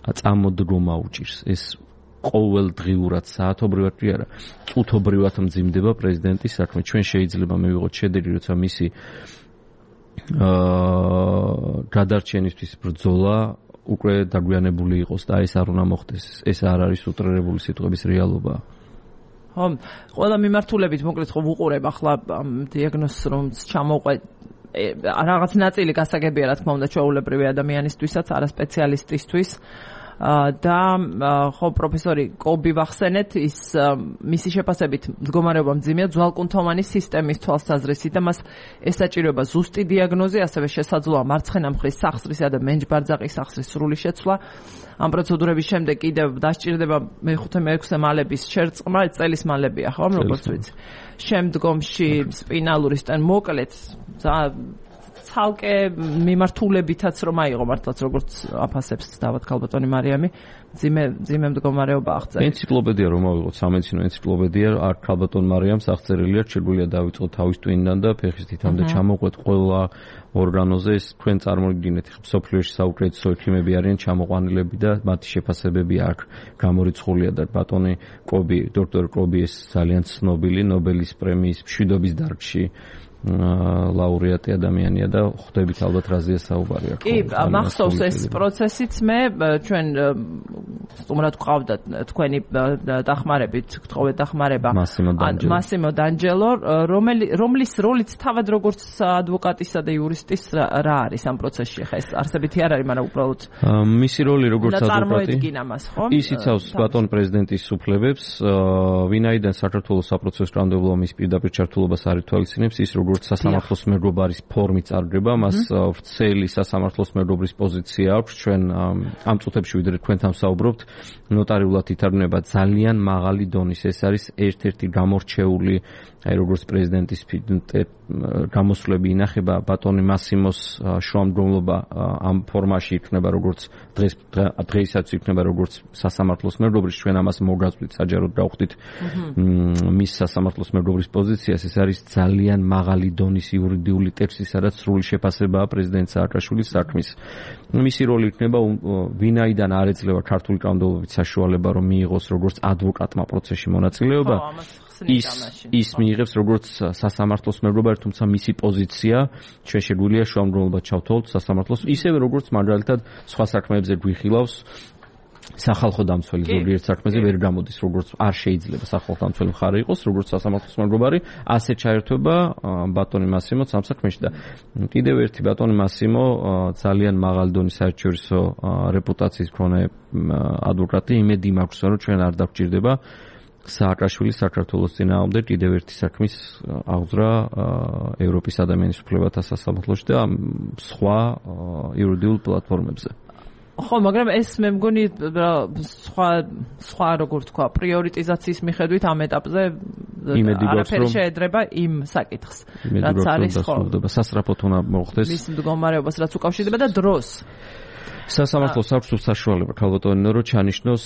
წამოდგომა უჭირს. ეს ყოველდღიურად საათობრივად კი არა, წუთობრივად მძიმდება პრეზიდენტის საქმე. ჩვენ შეიძლება მივიღოთ შედერი, როცა მისი გადარჩენისთვის ბრძოლა უკვე დაგვიანებული იყოს და ეს არ უნდა მოხდეს. ეს არ არის უტრირებული სიტყვების რეალობა. ხო, ყველა მიმართულებით მოკლედ ხო ვუყურებ ახლა დიაგნოზს რომც ჩამოვყვე რაღაც ნაწილი გასაგებია რა თქმა უნდა ჩვეულებრივი ადამიანისთვისაც, არა სპეციალისტისთვის. და ხო პროფესორი კობი ვახსენეთ ის მისი შეფასებით მდგომარეობა მძიმეა ძვალკუნთოვანი სისტემის თვალსაზრისით და მას ესაჭიროება ზუსტი დიაგნოზი, ასევე შესაძლოა მარცხენა მხრის სახსრისა და მენჯბარძაყის სახსრის სრული შეცვლა. ამ პროცედურების შემდეგ კიდევ დასჭირდება მე-5-მე-6 მალების შერწყმა, წელის მალებია, ხო, როგორც ვიცი. შემდგომში სპინალური სტენ მოკლედ ცალკე მიმართულებითაც რომ აიღო მართლაც როგორც აფასებს დავად ქალბატონი მარიამი ძიმე მდგომარეობა აღწერა. ენციკლოპედია რომ ავიღოთ, სამედიცინო ენციკლოპედია არ ქალბატონ მარიამს აღწერილია, შეგვიძლია დავიწყოთ თავის ტვინიდან და ფეხის თითამდე ჩამოყვეთ ყველა ორგანოზე. ეს თქვენ წარმოგიდგინეთ, მსოფლიოში საუკეთესო ექიმები არიან ჩამოყვანილები და მათი შეფასებები აქ გამორიცხულია და ბატონი კობი, დოქტორ კობი ეს ძალიან ცნობილი ნობელის პრემიის მშვიდობის დარგში ლაურეატი ადამიანია და ხვდებით ალბათ რაზეა საუბარი აქ. კი, მახსოვს ეს პროცესიც მე ჩვენ სტუმრად ვყავდა თქვენი დახმარებით, გთხოვეთ დახმარება მასიმო დანჯელო, რომლის როლიც თავად როგორც ადვოკატისა და იურისტის რა არის ამ პროცესში ხა ეს არსებითი არ არის, მაგრამ უბრალოდ მისი როლი როგორც ადვოკატი ის იცავს ბატონ პრეზიდენტის უფლებებს, ვინაიდან საქართველოს საპროცესო კანონმდებლობა მის პირდაპირ ჩართულობას არ ითვალისწინებს, ის როგორც სასამართლოს მეგობარის ფორმით წარგება, მას ვრცელი სასამართლოს მეგობრის პოზიცია აქვს. ჩვენ ამ წუთებში ვიდრე თქვენთან ვსაუბრობთ, ნოტარიულად ითარგმნება ძალიან მაღალი დონის. ეს არის ერთ-ერთი გამორჩეული, აი როგორც პრეზიდენტის გამოსვლები ინახება, ბატონი მასიმოს შუამდგომლობა ამ ფორმაში იქნება, როგორც დღეისაც იქნება, როგორც სასამართლოს მეგობრის. ჩვენ ამას მოგაწვით, საჯაროდ გავხდით მის სასამართლოს მეგობრის პოზიციას. ეს არის ძალიან მაღალი დონის იურიდიული ტექსტი, სადაც სრული შეფასებაა პრეზიდენტ სააკაშვილის საქმის. მისი როლი იქნება, ვინაიდან არ ეძლევა ქართული კანონმდებლობით საშუალება, რომ მიიღოს როგორც ადვოკატმა პროცესში მონაწილეობა, ის მიიღებს როგორც სასამართლოს მეგობარი, თუმცა მისი პოზიცია ჩვენ შეგვიძლია შუამდგომლობა ჩავთვალოთ სასამართლოს, ისევე როგორც მაგალითად სხვა საქმეებზე გვიხილავს სახალხო დამცველი ზოგიერთ საქმეზე ვერ გამოდის, როგორც არ შეიძლება სახალხო დამცველი მხარე იყოს, როგორც სასამართლოს მეგობარი, ასე ჩაერთვება ბატონი მასიმოც ამ საქმეში და კიდევ ერთი ბატონი მასიმო ძალიან მაღალი დონის საერთაშორისო რეპუტაციის მქონე ადვოკატი, იმედი მაქვს, რომ ჩვენ არ დაგვჭირდება სააკაშვილი საქართველოს წინააღმდეგ კიდევ ერთი საქმის აღძვრა ევროპის ადამიანის უფლებათა სასამართლოში და სხვა იურიდიულ პლატფორმებზე. ხო, მაგრამ ეს მე მგონი სხვა როგორ თქვა, პრიორიტიზაციის მიხედვით ამ ეტაპზე არაფერი შეედრება იმ საკითხს, რაც არის ხო. სასწრაფოდ უნდა მოხდეს მის მდგომარეობას რაც უკავშირდება და დროს. სასამართლოს აქვს საშუალება ქალბატონო რომ ჩანიშნოს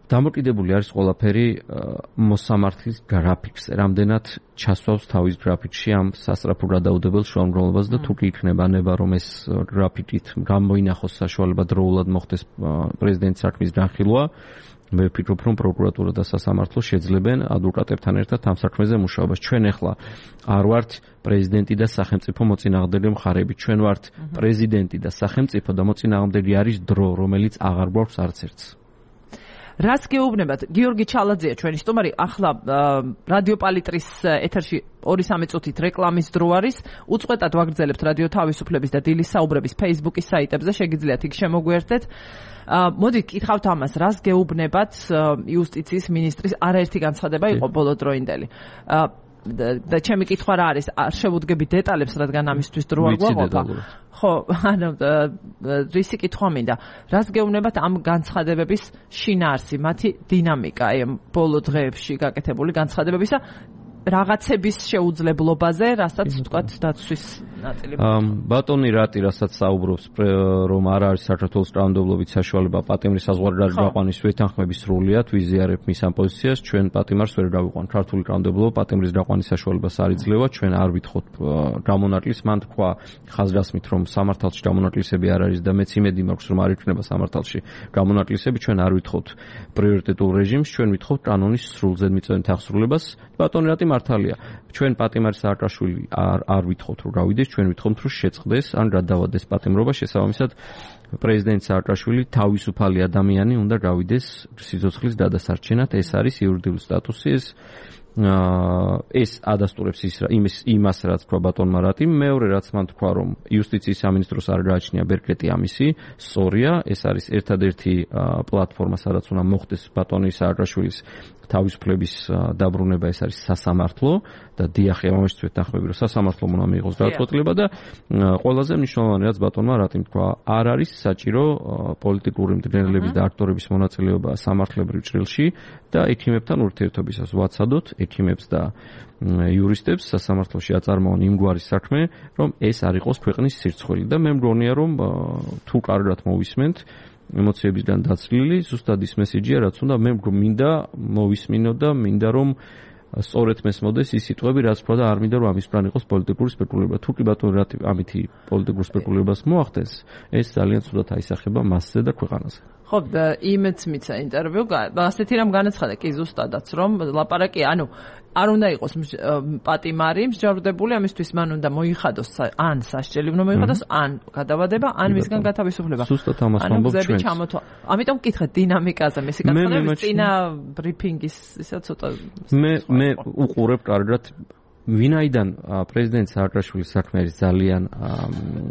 დამოკიდებული არის ყველაფერი მოსამართლის გრაფიკს, რამდენად ჩასვავს თავის გრაფიკში ამ სასწრაფო გადაუდებელ შუამდგომლობას და თუ კი იქნება ნება რომ ეს გრაფიკით გამოინახოს საშუალება დროულად მოხდეს პრეზიდენტის საქმის განხილვა, მე ვფიქრობ რომ პროკურატურა და სასამართლო შეძლებენ ადვოკატებთან ერთად ამ საქმეზე მუშაობას. ჩვენ ახლა არ ვართ პრეზიდენტი და სახელმწიფო მოწინააღმდეგე მხარეები, ჩვენ ვართ პრეზიდენტი და სახელმწიფო და მოწინააღმდეგე არის დრო, რომელიც აღარ გვაქვს არც ერთს. რას გეუბნებათ? გიორგი ჩალაძეა ჩვენი სტუმარი, ახლა რადიო პალიტრის ეთერში 2-3 წუთით რეკლამის დრო არის. უწყვეტად ვაგრძელებთ რადიო თავისუფლების და დილის საუბრების Facebook-ის საიტებზე, შეგიძლიათ იქ შემოგვიერთდეთ. მოდი კითხავთ ამას, რას გეუბნებათ იუსტიციის მინისტრის არაერთი განცხადება იყო ბოლოდროინდელი. და ჩემი კითხვა რა არის, არ შევუდგები დეტალებს, რადგან ამისთვის დრო არ გვაყოფა. ხო, ანუ რისი კითხვა მინდა. რას გეუბნებათ ამ განცხადებების შინაარსი, მათი დინამიკა, აი ბოლო დღეებში გაკეთებული განცხადებებისა რაღაცების შეუძლებლობაზე, რასაც ვთქვათ დაცვის ნაწილი. ბატონი რატი, რასაც საუბრობს, რომ არ არის საქართველოს კანონმდებლობით საშუალება პატიმრის საზღვარგარეთ გაყვანის ვეთანხმების სრულიად ვიზიარებ მის ამ პოზიციას, ჩვენ პატიმარს ვერ გავიყვან. ქართული კანონმდებლობა პატიმრის გაყვანის საშუალებას არ იძლევა, ჩვენ არ ვითხოვთ გამონაკლისს, მან თქვა ხაზგასმით, რომ სამართალში გამონაკლისები არ არის და მეც იმედი მაქვს, რომ არ იქნება სამართალში გამონაკლისები, ჩვენ არ ვითხოვთ პრიორიტეტულ რეჟიმს, ჩვენ ვითხოვთ კანონის სრულზედმიწევნით აღსრულებას. ბატონი რატი მართალია. ჩვენ პატიმარი სააკაშვილი არ ვითხოვთ რომ გავიდეს, ჩვენ ვითხოვთ რომ შეწყდეს ან გადავადეს პატიმრობა, შესაბამისად პრეზიდენტ სააკაშვილი თავისუფალი ადამიანი უნდა გავიდეს სიცოცხლის გადასარჩენად, ეს არის იურიდიული სტატუსი, ეს ადასტურებს იმას რაც თქვა ბატონმა რატიმ. მეორე რაც მან თქვა რომ იუსტიციის სამინისტროს არ გააჩნია ბერკეტი ამისი, სწორია, ეს არის ერთადერთი პლატფორმა სადაც უნდა მოხდეს ბატონი სააკაშვილის თავისუფლების დაბრუნება, ეს არის სასამართლო და დიახი ამაშიც ვეთანხმები რომ სასამართლომ უნდა მიიღოს გადაწყვეტილება და ყველაზე მნიშვნელოვანი რაც ბატონმა რატიმ თქვა, არ არის საჭირო პოლიტიკური მდგენელების და აქტორების მონაწილეობა სამართლებრივ ჭრილში და ექიმებთან ურთიერთობისას ვაცადოთ ექიმებს და იურისტებს სასამართლოში აწარმოონ იმგვარი საქმე, რომ ეს არ იყოს ქვეყნის სირცხველი და მე მგონია რომ თუ კარგად მოვისმენთ ემოციებისგან დაცლილი, ზუსტად ის მესიჯია, რაც უნდა მე მინდა მოვისმინო და მინდა რომ სწორედ მესმოდეს ის სიტყვები, რაც თქვა და არ მინდა რომ ამისგან იყოს პოლიტიკური სპეკულირება. თუ კი ბატონი რატი ამითი პოლიტიკურ სპეკულირებას მოახდენს, ეს ძალიან ცუდად აისახება მასზე და ქვეყანაზე. ხო, იმეც მიცა ინტერვიუ, ასეთი რამ განაცხადა კი ზუსტადაც, რომ ლაპარაკი, ანუ არ უნდა იყოს პატიმარი მსჯავრდებული, ამისთვის მან უნდა მოიხადოს ან სასჯელი უნდა მოიხადოს, ან გადავადება, ან მისგან გათავისუფლება. ზუსტად ამას ვამბობ ჩვენც. ამიტომ ვკითხეთ დინამიკაზე, მისი განცხადების წინა ბრიფინგის ისა ცოტა მე უყურებ კარგად ვინაიდან პრეზიდენტ სააკაშვილის საქმე არის ძალიან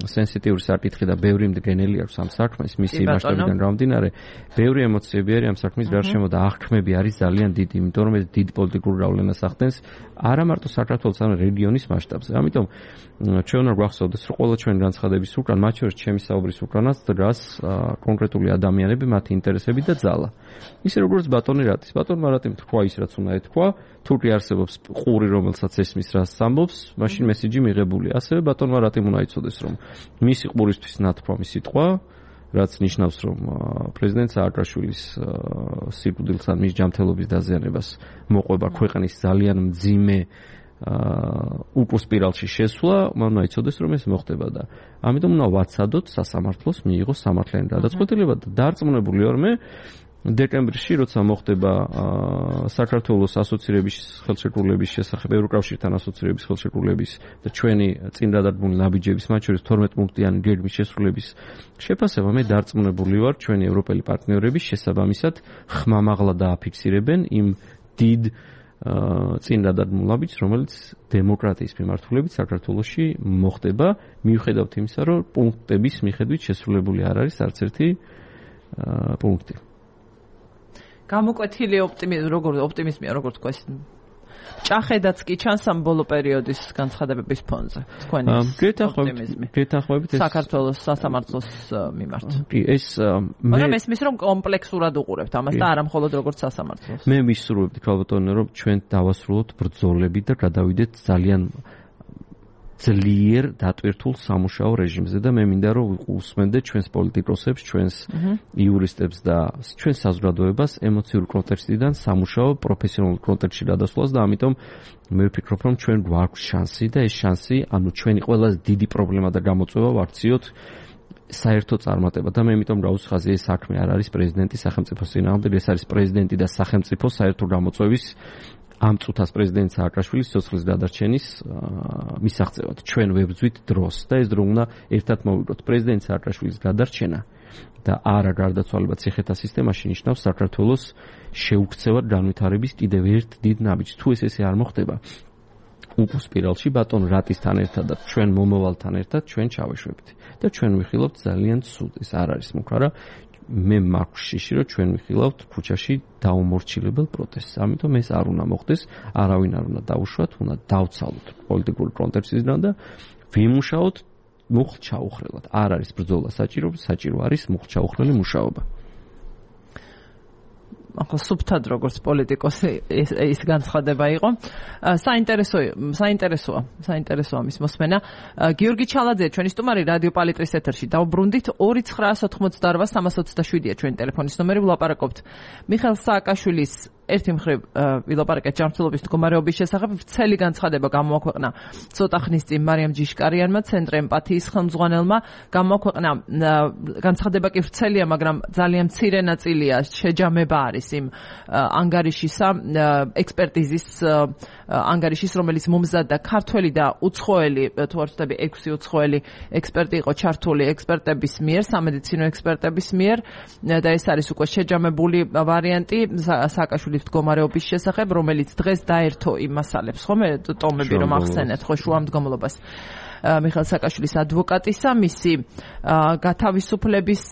სენსიტიური საკითხი და ბევრი მდგენელი აქვს ამ საქმეს, მისი მასშტაბიდან გამომდინარე, ბევრი ემოციები არის ამ საქმის გარშემო და აღქმები არის ძალიან დიდი, იმიტომ რომ ეს დიდ პოლიტიკურ გავლენას ახდენს არა მარტო საქართველოს, არამედ რეგიონის მასშტაბზე. ამიტომ ჩვენ უნდა გვახსოვდეს, რომ ყველა ჩვენ განცხადების უკან, მათ შორის ჩემი საუბრის უკანაც დგას კონკრეტული ადამიანები, მათი ინტერესები და ძალა. ისე როგორც ბატონი რატის. ბატონმა რატიმ თქვა ის, რაც უნდა ეთქვა, თუ კი არსებობს ყური, რომელსაც ესმის რაც ამბობს, მაშინ მესიჯი მიღებულია. ასევე ბატონმა რატიმ უნდა იცოდეს, რომ მისი ყურისთვის ნათქვამი სიტყვა, რაც ნიშნავს, რომ პრეზიდენტ სააკაშვილის სიკვდილს ან მის ჯანმრთელობის დაზიანებას მოყვება ქვეყნის ძალიან მძიმე უკუს სპირალში შესვლა, მან უნდა იცოდეს, რომ ეს მოხდება და ამიტომ უნდა ვაცადოთ სასამართლოს მიიღოს სამართლიანი გადაწყვეტილება და დარწმუნებული ვარ მე დეკემბრში, როცა მოხდება საქართველოს ასოცირების ხელშეკრულების შესახებ, ევროკავშირთან ასოცირების ხელშეკრულების და ჩვენი წინ დადადგმული ნაბიჯების, მათ შორის 12 პუნქტიანი გეგმის შესრულების შეფასება, მე დარწმუნებული ვარ, ჩვენი ევროპელი პარტნიორები შესაბამისად ხმამაღლა დააფიქსირებენ იმ დიდ წინ დადადგმულ ნაბიჯს, რომელიც დემოკრატიის მიმართულებით საქართველოში მოხდება, მიუხედავად იმისა, რომ პუნქტების მიხედვით შესრულებული არ არის არც ერთი პუნქტი. გამოკვეთილი ოპტიმიზმია, როგორ თქვა ეს ჭახედაც კი ჩანს ამ ბოლო პერიოდის განცხადებების ფონზე. თქვენი ოპტიმიზმი. გეთანხმებით ეს საქართველოს სასამართლოს მიმართ. კი, ეს მაგრამ ესმის რომ კომპლექსურად უყურებთ ამას და არა მხოლოდ როგორც სასამართლოს. მე ვისურვებდი ქალბატონო, რომ ჩვენ დავასრულოთ ბრძოლები და გადავიდეთ ძალიან ძლიერ დატვირთულ სამუშაო რეჟიმზე და მე მინდა რომ უსმენდეთ ჩვენს პოლიტიკოსებს, ჩვენს იურისტებს და ჩვენს საზოგადოებას ემოციური კონტექსტიდან სამუშაო პროფესიონალურ კონტექსტში გადასვლას და ამიტომ მე ვფიქრობ რომ ჩვენ გვაქვს შანსი და ეს შანსი, ანუ ჩვენი ყველაზე დიდი პრობლემა და გამოწვევა ვაქციოთ საერთო წარმატება და მე იმიტომ გავუსხაზე ეს საქმე არ არის პრეზიდენტის სახელმწიფოს წინააღმდეგ, ეს არის პრეზიდენტი და სახელმწიფო საერთო გამოწვევის ამ წუთას პრეზიდენტ სააკაშვილის სიცოცხლის გადარჩენის მისაღწევად. ჩვენ ვებრძვით დროს და ეს დრო უნდა ერთად მოვიგოთ. პრეზიდენტ სააკაშვილის გადარჩენა და არა გარდაცვალება ციხეთა სისტემაში ნიშნავს საქართველოს შეუქცევად განვითარების კიდევ ერთ დიდ ნაბიჯს. თუ ესე არ მოხდება, უკუს სპირალში ბატონ რატისთან ერთად და ჩვენ მომავალთან ერთად ჩვენ ჩავეშვებით და ჩვენ ვიხილობთ ძალიან ცუდ. ეს არ არის მუქარა. მე მაქვს შიში, რომ ჩვენ ვიხილავთ ქუჩაში დაუმორჩილებელ პროტესტს. ამიტომ ეს არ უნდა მოხდეს, არავინ არ უნდა დაუშვათ, უნდა დავცალოთ პოლიტიკური კონტექსტიდან და ვიმუშაოთ მუხლ-ჩაუხრელად. არ არის ბრძოლა საჭირო, საჭირო არის მუხლ-ჩაუხრელი მუშაობა. ახლა სუფთად როგორც პოლიტიკოსი ის განცხადება იყო. საინტერესოა მის მოსმენა. გიორგი ჩალაძე, ჩვენი სტუმარი რადიო პალიტრის ეთერში. დავბრუნდით 2988327-ია ჩვენი ტელეფონის ნომერი, ვლაპარაკობთ მიხეილ სააკაშვილის ერთი მხრივ ვილაპარაკეთ ჯანმრთელობის მდგომარეობის შესახებ. ვრცელი განცხადება გამოაქვეყნა ცოტა ხნის წინ მარიამ ჯიშკარიანმა, ცენტრ ემპათიის ხელმძღვანელმა. გამოაქვეყნა განცხადება კი ვრცელია, მაგრამ ძალიან მცირე ნაწილია შეჯამება არის იმ ანგარიშისა, ექსპერტიზის ანგარიშის, რომელიც მომზადდა ქართველი და უცხოელი, თუ არ ვცდები 6 უცხოელი ექსპერტი იყო ჩართული ექსპერტების მიერ, სამედიცინო ექსპერტების მიერ და ეს არის უკვე შეჯამებული ვარიანტი სააკაშვილის მდგომარეობის შესახებ, რომელიც დღეს დაერთო იმ მასალებს, ხომ ტომები რომ ახსენეთ, ხო შუამდგომლობას მიხეილ სააკაშვილის ადვოკატისა, მისი გათავისუფლების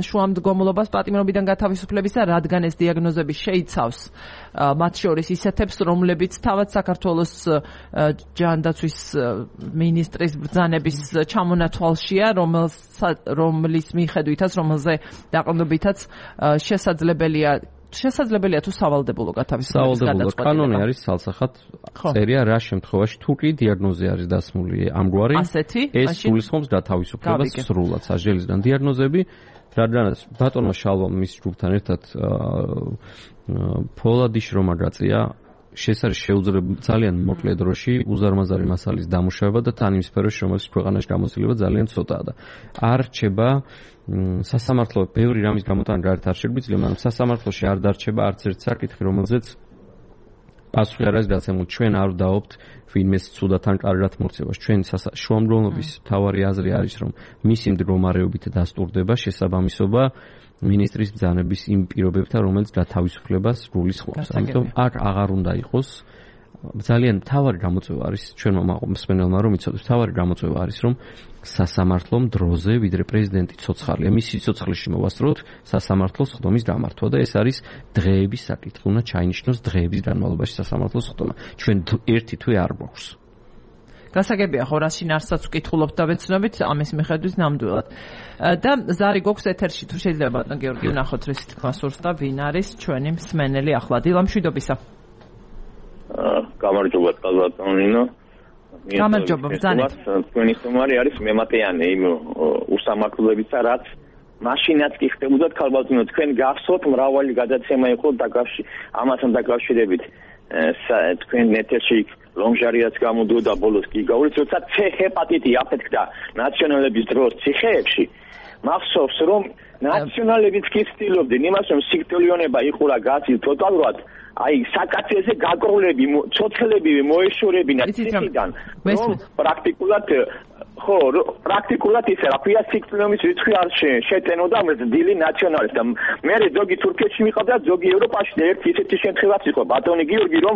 შუამდგომლობას, პატიმრობიდან გათავისუფლების და რადგან ეს დიაგნოზები შეიცავს მათ შორის ისეთებს, რომლებიც თავად საქართველოს ჯანდაცვის მინისტრის ბრძანების ჩამონათვალშია, რომლის მიხედვითაც, რომელზე დაყრდნობითაც შესაძლებელია თუ სავალდებულო გათავისუფლების გადაწყვეტილება. კანონი არის ცალსახად წერია რა შემთხვევაში თუ კი დიაგნოზი არის დასმული ამგვარი, ეს გულისხმობს გათავისუფლებას სრულად სასჯელისგან. დიაგნოზები, რადგანაც ბატონმა შალვამ მის ჯგუფთან ერთად ფოლადი შრომა-გაწია, არის შეუძლებელი ძალიან მოკლე დროში უზარმაზარი მასალის დამუშავება და თან იმ სფეროში, რომელიც ქვეყანაში გამოცდილება ძალიან ცოტაა და არ რჩება სასამართლო ბევრი რამის გამოტანა გარეთ არ შეგვიძლია, მაგრამ სასამართლოში არ დარჩება არც ერთ საკითხი, რომელზეც პასუხი არ არის გაცემული. ჩვენ არ ვდაობთ ვინმეს ცუდად ან კარგად მოქცევას. ჩვენ შუამდგომლობის მთავარი აზრი არის, რომ მისი მდგომარეობით დასტურდება შესაბამისობა მინისტრის ბრძანების იმ პირობებთან, რომელიც გათავისუფლებას გულისხმობს. ამიტომ აქ აღარ უნდა იყოს ძალიან მთავარი გამოწვევა არის ჩვენმა მსმენელმა რომ იცოდეთ, მთავარი გამოწვევა არის რომ სასამართლომ დროზე ვიდრე პრეზიდენტი ცოცხალია, მისი ცოცხლში მოვასწროთ სასამართლოს ხდომის გამართვა და ეს არის დღეების საკითხი, უნდა ჩაინიშნოს დღეების განმავლობაში სასამართლოს ხდომა. ჩვენ ერთი თვე არ გვაქვს. გასაგებია ხო რა შინაარსსაც ვკითხულობთ და ვეცნობით ამის მიხედვით ნამდვილად. და ზარი გვაქვს ეთერში, თუ შეიძლება ბატონ გიორგი ვნახოთ რისი თქმა სურს და ვინ არის ჩვენი მსმენელი ახლა. დილა მშვიდობისა. გამარჯობა ბატონინო. გამარჯობა ბრძანეთ. თქვენი სტუმარი არის მემატიანე იმ უსამართლოებისა, რაც მაშინაც კი ხდებოდათ ქალბატონო, თქვენ გახსოვთ მრავალი გადაცემა იყო ამასთან დაკავშირებით. თქვენ ეთერში ლომჟარიაც გამოდიოდა ბოლოს კი გავრით, როცა C ჰეპატიტი აფეთქდა ნაციონალების დროს ციხეებში. მახსოვს რომ ნაციონალებიც კი ცდილობდნენ იმას, რომ სიკვდილიანობა იყურა გაცილ ტოტალურად, აი საკაცეზე გაკროლები, ცოცხლები მოეშორებინა ციხიდან, რომ პრაქტიკულად ისე რა ქვია სიკვდილის რიცხვი არ შეტენოდა მძილი ნაციონალისტ და მე ზოგი თურქეთში მიყავდა, ზოგი ევროპაში და ერთი ისეთი შემთხვევაც იყო ბატონი გიორგი, რომ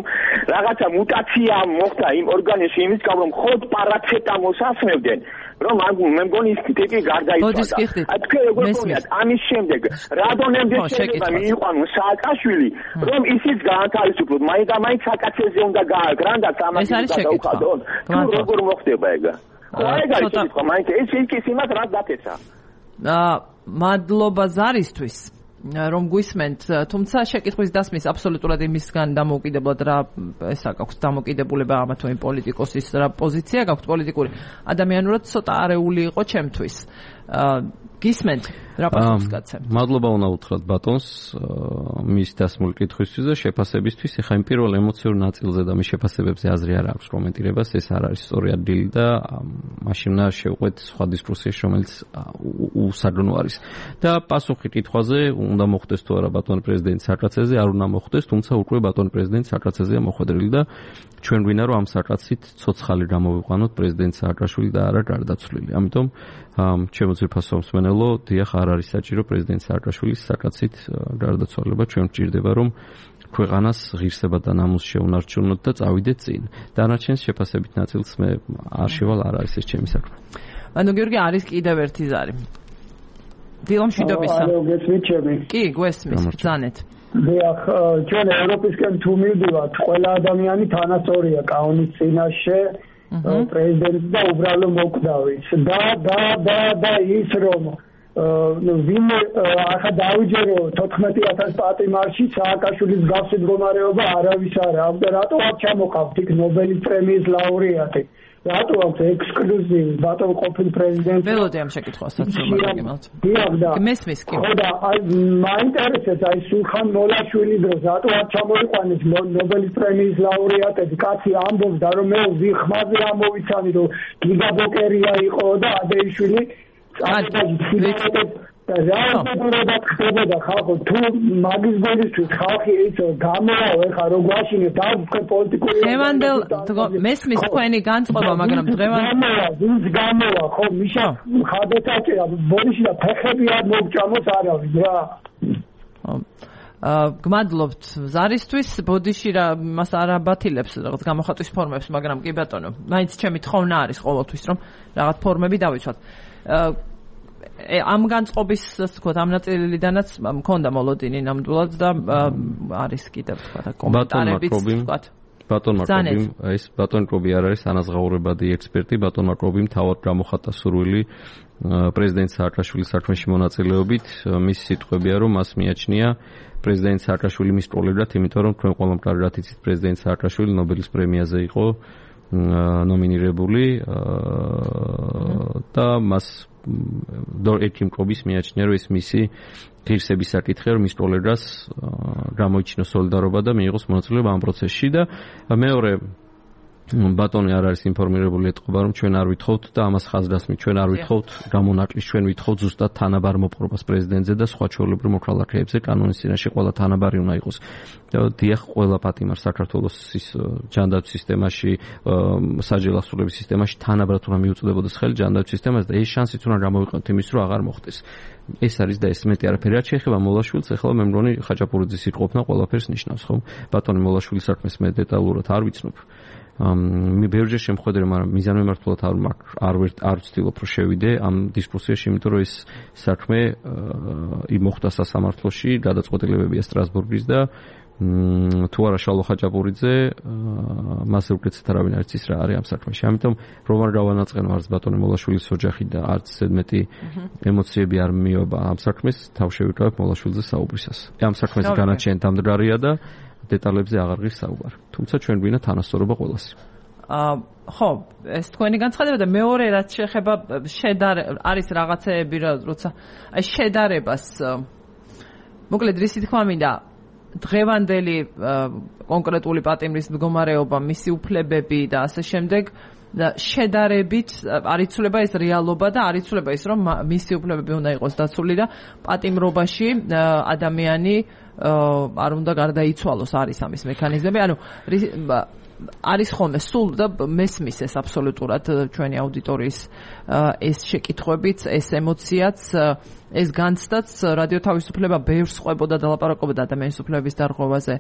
რაღაცა მუტაცია მოხდა იმ ორგანიზმში იმის გამო რომ ხოდ პარაცეტამოლს ასმევდნენ, რომ მე მგონი ის ტიპი გარდაიცვალა. თქვენ როგორ გქონიათ ამის შემდეგ რადონემდე შეიძლება მიიყვანოს სააკაშვილი, რომ ისიც გაანთავისუფლოთ, მაინც და მაინც საკაცეზე უნდა გააგრანდათ ამას გადაუხადონ. როგორ მოხდება ეგ? მადლობა ზარისთვის რომ გვისმენთ, თუმცა შეკითხვის დასმის აბსოლუტურად იმისგან დამოუკიდებლად რა ესა გაქვთ დამოკიდებულება ამა თუ იმ პოლიტიკოსის რა პოზიცია გაქვთ პოლიტიკური, ადამიანურად ცოტა არეული იყო ჩემთვის. გისმენთ რა პასუხს გაცემთ? მადლობა უნდა უთხრათ ბატონს მის დასმული კითხვისთვის და შეფასებისთვის. ეხლა იმ პირველ ემოციურ ნაწილზე და მის შეფასებებზე აზრი არ აქვს კომენტირებას, ეს არ არის სწორი ადგილი და მაშინ უნდა შევყვეთ სხვა დისკუსიაში, რომელიც უსაგნო არის. და პასუხი კითხვაზე უნდა მოხდეს თუ არა ბატონ პრეზიდენტი საკრაცეზე, არ უნდა მოხდეს, თუმცა უკვე ბატონ პრეზიდენტი საკრაცეზეა მოხვედრილი და ჩვენ გვინდა რომ ამ საკრაცით ცოცხალი გამოვიყვანოთ პრეზიდენტ სააკაშვილი და არა გარდაცვლილი. ამიტომ ჩემო ძირფასო მსმენელო, დიახ, არ არის საჭირო პრეზიდენტ სააკაშვილის საკრაცით გარდაცვალება. ჩვენ გვჭირდება რომ ქვეყანას ღირსება და ნამუსი შეუნარჩუნოთ და წავიდეთ წინ. დანარჩენს შეფასებით ნაწილს მე არ შევალ, არ არის ეს ჩემი საქმე. ანუ გიორგი არის კიდევ ერთი ზარი. დილო მშვიდობისა. ალო, გესმით ჩემი? კი, გვესმის, ბრძანეთ. დიახ, ჩვენ ევროპისკენ თუ მივდივართ, ყველა ადამიანი თანასწორია კანონის წინაშე, პრეზიდენტი და უბრალო მოკვდავიც. და ის რომ ვინ ახლა დავიჯერო 14,000 პატიმარში სააკაშვილის გასული მდგომარეობა არავის არ აქვს და რატო არ ჩამოყავთ იქ ნობელის პრემიის ლაურეატი? რატო აქვს ექსკლუზივი ბატონ ყოფილ პრეზიდენტი? ველოდე ამ შეკითხვასაც მომაგებთ. დიახ და მესმის კი. ხო და მაინტერესებს აი სულხან მოლაშვილის დროს რატო არ ჩამოიყვანეს ნობელის პრემიის ლაურეატები? კაცი ამბობს და რომ მე ვიხმაზე ამოვიცანი რომ გიგაბოკერია იყო და ადეიშვილი და ხდებოდა ხალხო თუ მაგის გოლისთვის ხალხი იცო გამოვაო ეხა რო გვაშინე დავწყე პოლიტიკური დღევანდელ მესმის თქვენი განწყობა მაგრამ გამოვა ხო მიშა ხადესაჭერა ბოდიში და ფეხები არ მოგჭამოს არავის რა გმადლობთ ზარისთვის ბოდიში რა მას არ აბათილებს რაღაც გამოხატვის ფორმებს მაგრამ კი ბატონო მაინც ჩემი თხოვნა არის ყოველთვის რომ რაღაც ფორმები დავიცვათ ამ განწყობის თქვათ ამ ნაწილიდანაც მქონდა მოლოდინი ნამდვილად და არის კიდევ თქვათ კომენტარებიც თქვათ ბატონმა კრობიმ ეს ბატონ კრობი არ არის ანაზღაურებადი ექსპერტი ბატონმა კრობიმ თავად გამოხატა სურვილი პრეზიდენტ სააკაშვილის საქმეში მონაწილეობით მის სიტყვებია რომ მას მიაჩნია პრეზიდენტ სააკაშვილი მის პროლეგრად იმიტომ რომ თქვენ ყველამ კარგად იცით პრეზიდენტ სააკაშვილი ნობელის პრემიაზე იყო ნომინირებული და მას დორეკიმ კრობის მიაჩნია რომ ეს მისი ღირსების საკითხია რომ მის პროლეგრას გამოიჩინოს სოლიდარობა და მიიღოს მონაწილეობა ამ პროცესში და მეორე ბატონი არ არის ინფორმირებული ეთყობა რომ ჩვენ არ ვითხოვთ და ამას ხაზრასმით ჩვენ არ ვითხოვთ გამონაკლისს ჩვენ ვითხოვთ ზუსტად თანაბარ მოპყრობას პრეზიდენტზე და სხვა ჩვეულებრივ მოქალაქეებზე კანონის წინაშე ყველა თანაბარი უნდა იყოს დიახ ყველა პატიმარ საქართველოს ჯანდაცვის სისტემაში საჯელასწრების სისტემაში თანაბრად უნდა მიუწვდებოდეს ხელი ჯანდაცვის სისტემას და ეს შანსიც უნდა გამოვიყენოთ იმის რომ აღარ მოხდეს ეს არის და ეს მეტი არაფერი არ შეეხება მოლაშვილს ახლა მე მგონი ხაჭაპურიძის სიტყვებნა ყველაფერს ნიშნავს ხო ბატონი მოლაშვილის საქმეს მე დეტალურად არ ვიცნობ მე ბევრჯერ შემხვედრე, მაგრამ მიზანმიმართულად არ ვცდილობ რომ შევიდე ამ დისკუსიაში, იმიტომ რომ ეს საქმე მოხდა სასამართლოში, გადაწყვეტილებებია სტრასბურგის და თუ არა შალო ხაჭაპურიძე, მასზე უკეთესად არავინ არ იცის რა არის ამ საქმეში. ამიტომ რომ არ გავანაწყენო არც ბატონი მოლაშვილის ოჯახი და არც ზედმეტი ემოციები არ მიოება ამ საქმეს, თავ შევიკავებ მოლაშვილზე საუბრისას. ამ საქმეზე განაჩენი დამდგარია და დეტალებზე აღარ ღირს საუბარი. თუმცა ჩვენ გვინდა თანასწორობა ყველას. ხო, ეს თქვენი განცხადება და მეორე რაც შეეხება არის რაღაცეები როცა აი შედარებას მოკლედ რისი თქმა მინდა დღევანდელი კონკრეტული პატიმრის მდგომარეობა, მისი უფლებები და ასე შემდეგ და შედარებით არ იცვლება ეს რეალობა და არ იცვლება ის რომ მისი უფლებები უნდა იყოს დაცული და პატიმრობაში ადამიანი არ უნდა გარდაიცვალოს არის ამის მექანიზმები ანუ არის ხოლმე სულ და მესმის ეს აბსოლუტურად ჩვენი აუდიტორიის ეს შეკითხვებიც ეს ემოციაც ეს განცდაც რადიო თავისუფლება ბევრს ყვებოდა და ლაპარაკობდა ადამიანის უფლებების დარღვევაზე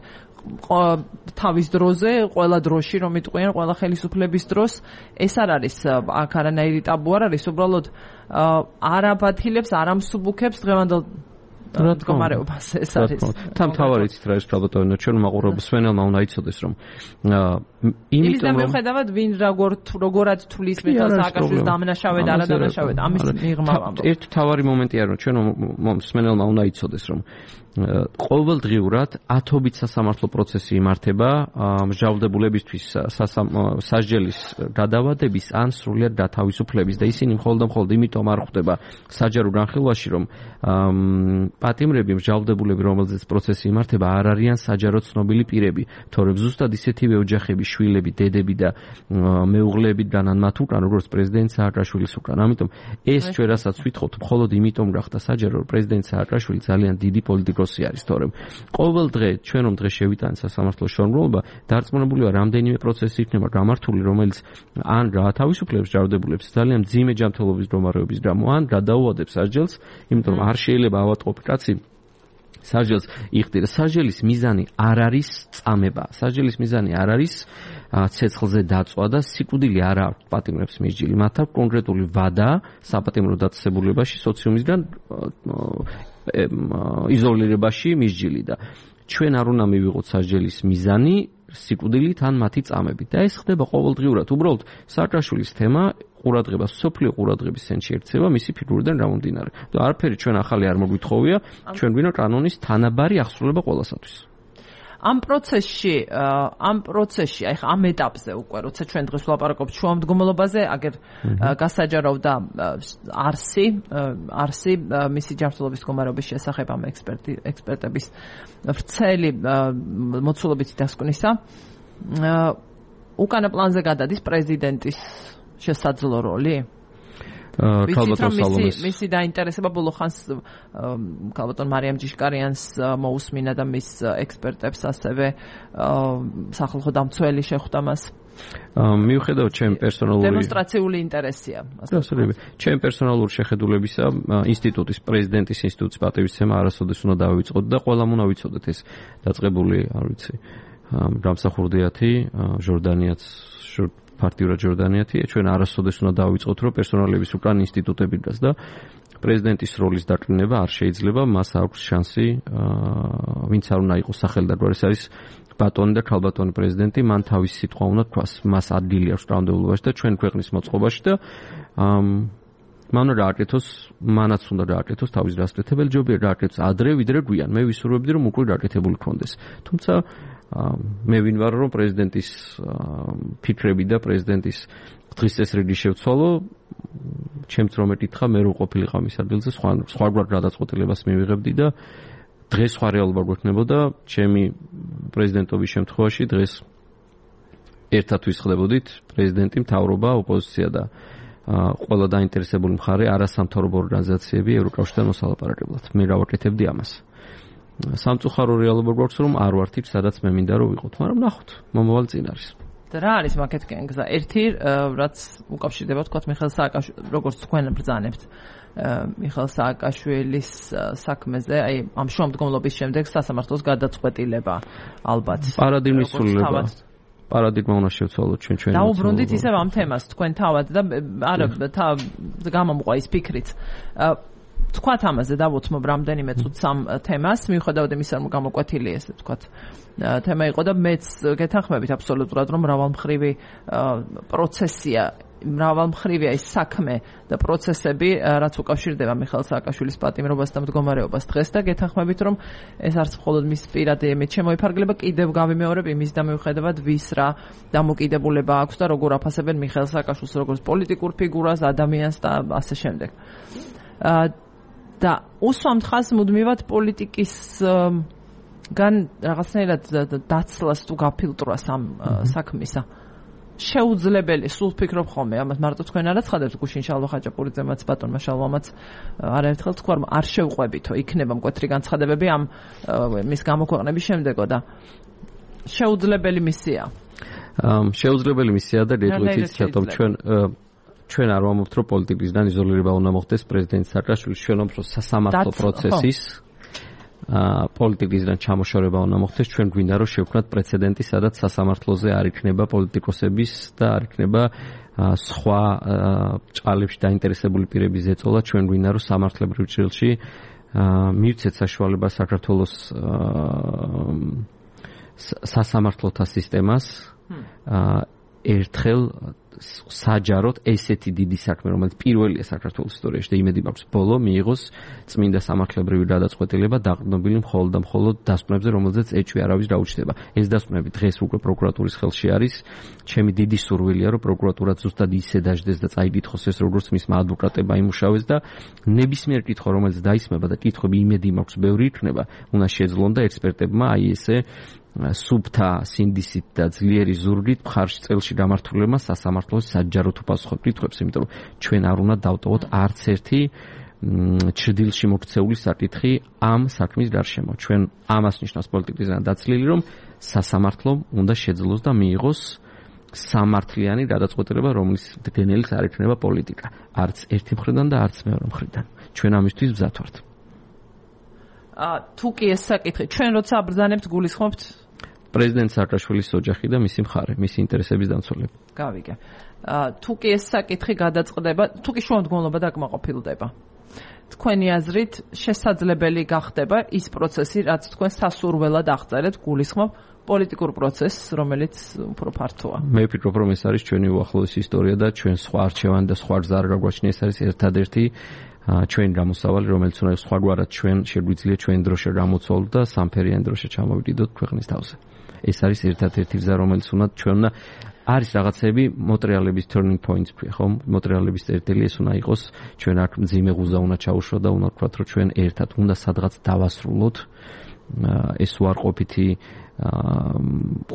თავის დროზე ყველა დროში რომ იტყვიან ყველა ხელისუფლების დროს ეს არ არის აქ არანაირი ტაბუ არ არის უბრალოდ არ აბათილებს არ ამსუბუქებს დღევანდელ მდგომარეობას ეს არის. თავარი იცით რა ის პრობლემა ჩვენ მაყურებელს სვენელმა უნდა იცოდეს რომ იმიტომ რომ მიუხედავად ვინ როგორად თulis მითხარ სააკაშვილის დამნაშავე და არადამნაშავე ამის მიღმა ვამბობ. ერთ თავარი მომენტია რომ ჩვენ სვენელმა უნდა იცოდეს რომ ყოველდღიურად ათობით სასამართლო პროცესი იმართება მსჯავრდებულებისთვის სასჯელის გადავადების ან სრულად გათავისუფლების და ისინი მხოლოდ იმიტომ არ ხვდება საჯარო განხილვაში რომ პატიმრები მსჯავრდებულები რომელზეც პროცესი იმართება არ არიან საჯარო ცნობილი პირები თორემ ზუსტად ისეთივე ოჯახები შვილები დედები და მეუღლეები განან მათ უკან როგორც პრეზიდენტ სააკაშვილის უკან ამიტომ ეს ჩვენ რასაც ვითხოვთ მხოლოდ იმიტომ გახდა საჯარო რომ პრეზიდენტ სააკაშვილი ძალიან დიდი პოლიტიკოსი არის თორემ ყოველ დღე ჩვენ რომ დღე შევიტანეთ სასამართლოს შრომლობა დარწმუნებულია რამდენიმე პროცესი იქნება გამართული რომელიც ან გაათავისუფლებს ჯარდებულებს ძალიან მძიმე ჯანმრთელობის მდგომარეობის გამო ან გადაუადებს სასჯელს იმიტომ რომ არ შეიძლება ავატყობი კაცი სასჯელს იხდიდა. სასჯელის მიზანი არ არის წამება. სასჯელის მიზანი არ არის ცეცხლზე დაწვა და სიკვდილი არ აქვს პატიმრებს მისჯილი. მათ აქვს კონკრეტული ვადა საპატიმრო დაწესებულებაში სოციუმისგან იზოლირებაში მისჯილი და ჩვენ არ უნდა მივიღოთ სასჯელის მიზანი სიკვდილით ან მათი წამებით. და ეს ხდება ყოველდღიურად. უბრალოდ სააკაშვილის თემა ყურადღება, სოფლიო ყურადღების ცენტრში ერთება მისი ფიგურიდან გამომდინარე. და არაფერი ჩვენ ახალი არ მოგვითხოვია, ჩვენ გვინდა კანონის თანაბარი აღსრულება ყველასათვის. ამ პროცესში, აი ხა ამ ეტაპზე უკვე, როცა ჩვენ დღეს ვლაპარაკობთ შუამდგომლობაზე, აგერ გასაჯარავდა არსი მისი ჯანმრთელობის მდგომარეობის შესახებ ამ ექსპერტების ვრცელი მოცულობითი დასკვნისა. უკანა პლანზე გადადის პრეზიდენტის შესაძლო როლი? მისი დაინტერესება ბოლო ხანს ქალბატონ მარიამ ჯიშკარიანს მოусმინა და მის ექსპერტებს ასევე სახალხო დამცველი შეხვდა მას. მიუხედავად ჩემი პერსონალური დემონსტრაციული ინტერესია. absolutely. ჩემი პერსონალური შეხედულებისა ინსტიტუტის პრეზიდენტის ინსტიტუტის პატივისცემა არასოდეს უნდა დავიწყოთ და ყველამ უნდა ვიცოდეთ ეს დაწყებული, არ ვიცი, გამსახურდიათი, ჟორდანიაც პარტიურად ჟორდანიათი, ჩვენ არასოდეს უნდა დავიწყოთ, რომ პერსონალების უკან ინსტიტუტები დგას და პრეზიდენტის როლის დაკლინება არ შეიძლება, მას აქვს შანსი, ვინც არ უნდა იყოს სახელდარგვა, ეს არის ბატონი და ქალბატონი პრეზიდენტი, მან თავისი სიტყვა უნდა თქვას, მას ადგილი აქვს კანონმდებლობაში და ჩვენ ქვეყნის მოწყობაში და მან გააკეთოს, მანაც უნდა გააკეთოს თავის გასაკეთებელი ჯობია გააკეთოს ადრე ვიდრე გვიან. მე ვისურვებდი რომ უკვე გააკეთებული ქონდეს. თუმცა მე ვინ ვარ რომ პრეზიდენტის ფიქრები და პრეზიდენტის დღის წესრიგი შევცვალო, ჩემც რომ ეკითხა, მე რო ყოფილიყავ მის ადგილზე, სხვაგვარ გადაწყვეტილებას მივიღებდი და დღეს სხვა რეალობა გვექნებოდა. ჩემი პრეზიდენტობის შემთხვევაში დღეს ერთად ვისხდებოდით პრეზიდენტი, მთავრობა, ოპოზიცია და ყველა დაინტერესებული მხარე, არასამთავრობო ორგანიზაციები ევროკავშირთან მოსალაპარაკებლად. მე გავაკეთებდი ამას. სამწუხარო რეალობა გვაქვს რომ არ ვართ იქ სადაც მე მინდა რომ ვიყოთ, მაგრამ ნახოთ, მომავალი წინ არის. და რა არის მაგეთკენ გზა? ერთი რაც უკავშირდება თქვათ მიხეილ სააკაშვილის, როგორც თქვენ ბრძანებთ მიხეილ სააკაშვილის საქმეზე, აი ამ შუამდგომლობის შემდეგ სასამართლოს გადაწყვეტილება ალბათ. პარადიგმის ცვლილება. პარადიგმა უნდა შევცვალოთ ჩვენ. დაუბრუნდით ისევ ამ თემას თქვენ თავად და არა გამომყვა ის ფიქრიც. თქვათ ამაზე დავუთმობ რამდენიმე წუთს ამ თემას, მიუხედავად იმისა, რომ გამოკვეთილი ესე თქვათ თემა იყო და მეც გეთანხმებით აბსოლუტურად, რომ მრავალმხრივი პროცესია, მრავალმხრივია ის საქმე და პროცესები, რაც უკავშირდება მიხეილ სააკაშვილის პატიმრობას და მდგომარეობას დღეს და გეთანხმებით, რომ ეს არც მხოლოდ მის პირადი ემით შემოიფარგლება, კიდევ გავიმეორებ იმის და მიუხედავად ვის რა დამოკიდებულება აქვს და როგორ აფასებენ მიხეილ სააკაშვილს როგორც პოლიტიკურ ფიგურას, ადამიანს და ასე შემდეგ. და უსვამთ ხაზს მუდმივად პოლიტიკისგან რაღაცნაირად დაცლას თუ გაფილტრვას ამ საქმისა. შეუძლებელი, სულ ფიქრობ ხოლმე, ამას მარტო თქვენ არ აცხადებთ, გუშინ შალვა ხაჭაპურიძემაც, ბატონმა შალვამაც არაერთხელ თქვა, რომ არ შევყვებითო, იქნება მკვეთრი განცხადებები ამ მის გამოქვეყნების შემდეგო და შეუძლებელი მისია. შეუძლებელი მისია და გეტყვით რატომ ჩვენ არ ვამბობთ, რომ პოლიტიკისგან იზოლირება უნდა მოხდეს პრეზიდენტ სააკაშვილის, ჩვენ ვამბობთ, რომ სასამართლო პროცესის პოლიტიკისგან ჩამოშორება უნდა მოხდეს, ჩვენ გვინდა რომ შევქმნათ პრეცედენტი, სადაც სასამართლოზე არ იქნება პოლიტიკოსების და არ იქნება სხვა ჭალებში დაინტერესებული პირების ზეწოლა, ჩვენ გვინდა რომ სამართლებრივ ჭრილში მივცეთ საშუალება საქართველოს სასამართლოთა სისტემას ერთხელ საჯაროდ ესეთი დიდი საქმე, რომელიც პირველია საქართველოს ისტორიაში და იმედი მაქვს ბოლო მიიღოს წმინდა სამართლებრივი გადაწყვეტილება დაყრდნობილი მხოლოდ და მხოლოდ დასკვნებზე, რომელზეც ეჭვი არავის დაუჩნდება. ეს დასკვნები დღეს უკვე პროკურატურის ხელში არის. ჩემი დიდი სურვილია, რომ პროკურატურა ზუსტად ისე დაждდეს და წაიკითხოს ეს, როგორც მისმა ადვოკატებმა იმუშავეს და ნებისმიერ კითხვა, რომელიც დაისმება და კითხვები იმედი მაქვს ბევრი იქნება, უნდა შეძლონ და ექსპერტებმა აი ესე სუბთა სინდისით და ძლიერი ზურგით მხარში წელში გამართულებმა სასამართლოს საჯაროდ უპასუხოთ კითხვებს, იმიტომ რომ ჩვენ არ უნდა დავტოვოთ არც ერთი ჭრდილში მოქცეული საკითხი ამ საქმის გარშემო. ჩვენ ამას ნიშნავს პოლიტიკისგან დაცლილი, რომ სასამართლომ უნდა შეძლოს და მიიღოს სამართლიანი გადაწყვეტილება, რომლის დენელიც არ იქნება პოლიტიკა. არც ერთი მხრიდან და არც მეორე მხრიდან. ჩვენ ამისთვის მზად ვართ. თუ კი ეს საკითხი ჩვენ როცა აბრძანებთ გულისხმობთ პრეზიდენტ სააკაშვილის ოჯახი და მისი მხარე, მისი ინტერესების დამცველები. გავიგე. თუ კი ეს საკითხი გადაწყდება, თუ კი შუამდგომლობა დაკმაყოფილდება. თქვენი აზრით შესაძლებელი გახდება ის პროცესი, რაც თქვენ სასურველად აღწერეთ, გულისხმობ პოლიტიკურ პროცესს, რომელიც უფრო ფართოა. მე ვფიქრობ, რომ ეს არის ჩვენი უახლოესი ისტორია და ჩვენ სხვა არჩევანი და სხვა ზარ გაგვაჩნია, ეს არის ერთადერთი ჩვენ გამოსავალი, რომელიც უნდა სხვაგვარად ჩვენ შეგვიძლია ჩვენ დროშა გამოცვალოთ და სამფერიანი დროშა ჩამოვიდოდოთ ქვეყნის თავზე. ეს არის ერთადერთი გზა, რომელიც უნდა ჩვენ უნდა არის რაღაცები მოტრიალების turning points, ხო? მოტრიალების წერტილი ეს უნდა იყოს, ჩვენ აქ მძიმე ღუზა უნდა ჩაუშვა და უნდა ვთქვათ, რომ ჩვენ ერთად უნდა სადღაც დავასრულოთ ეს უარყოფითი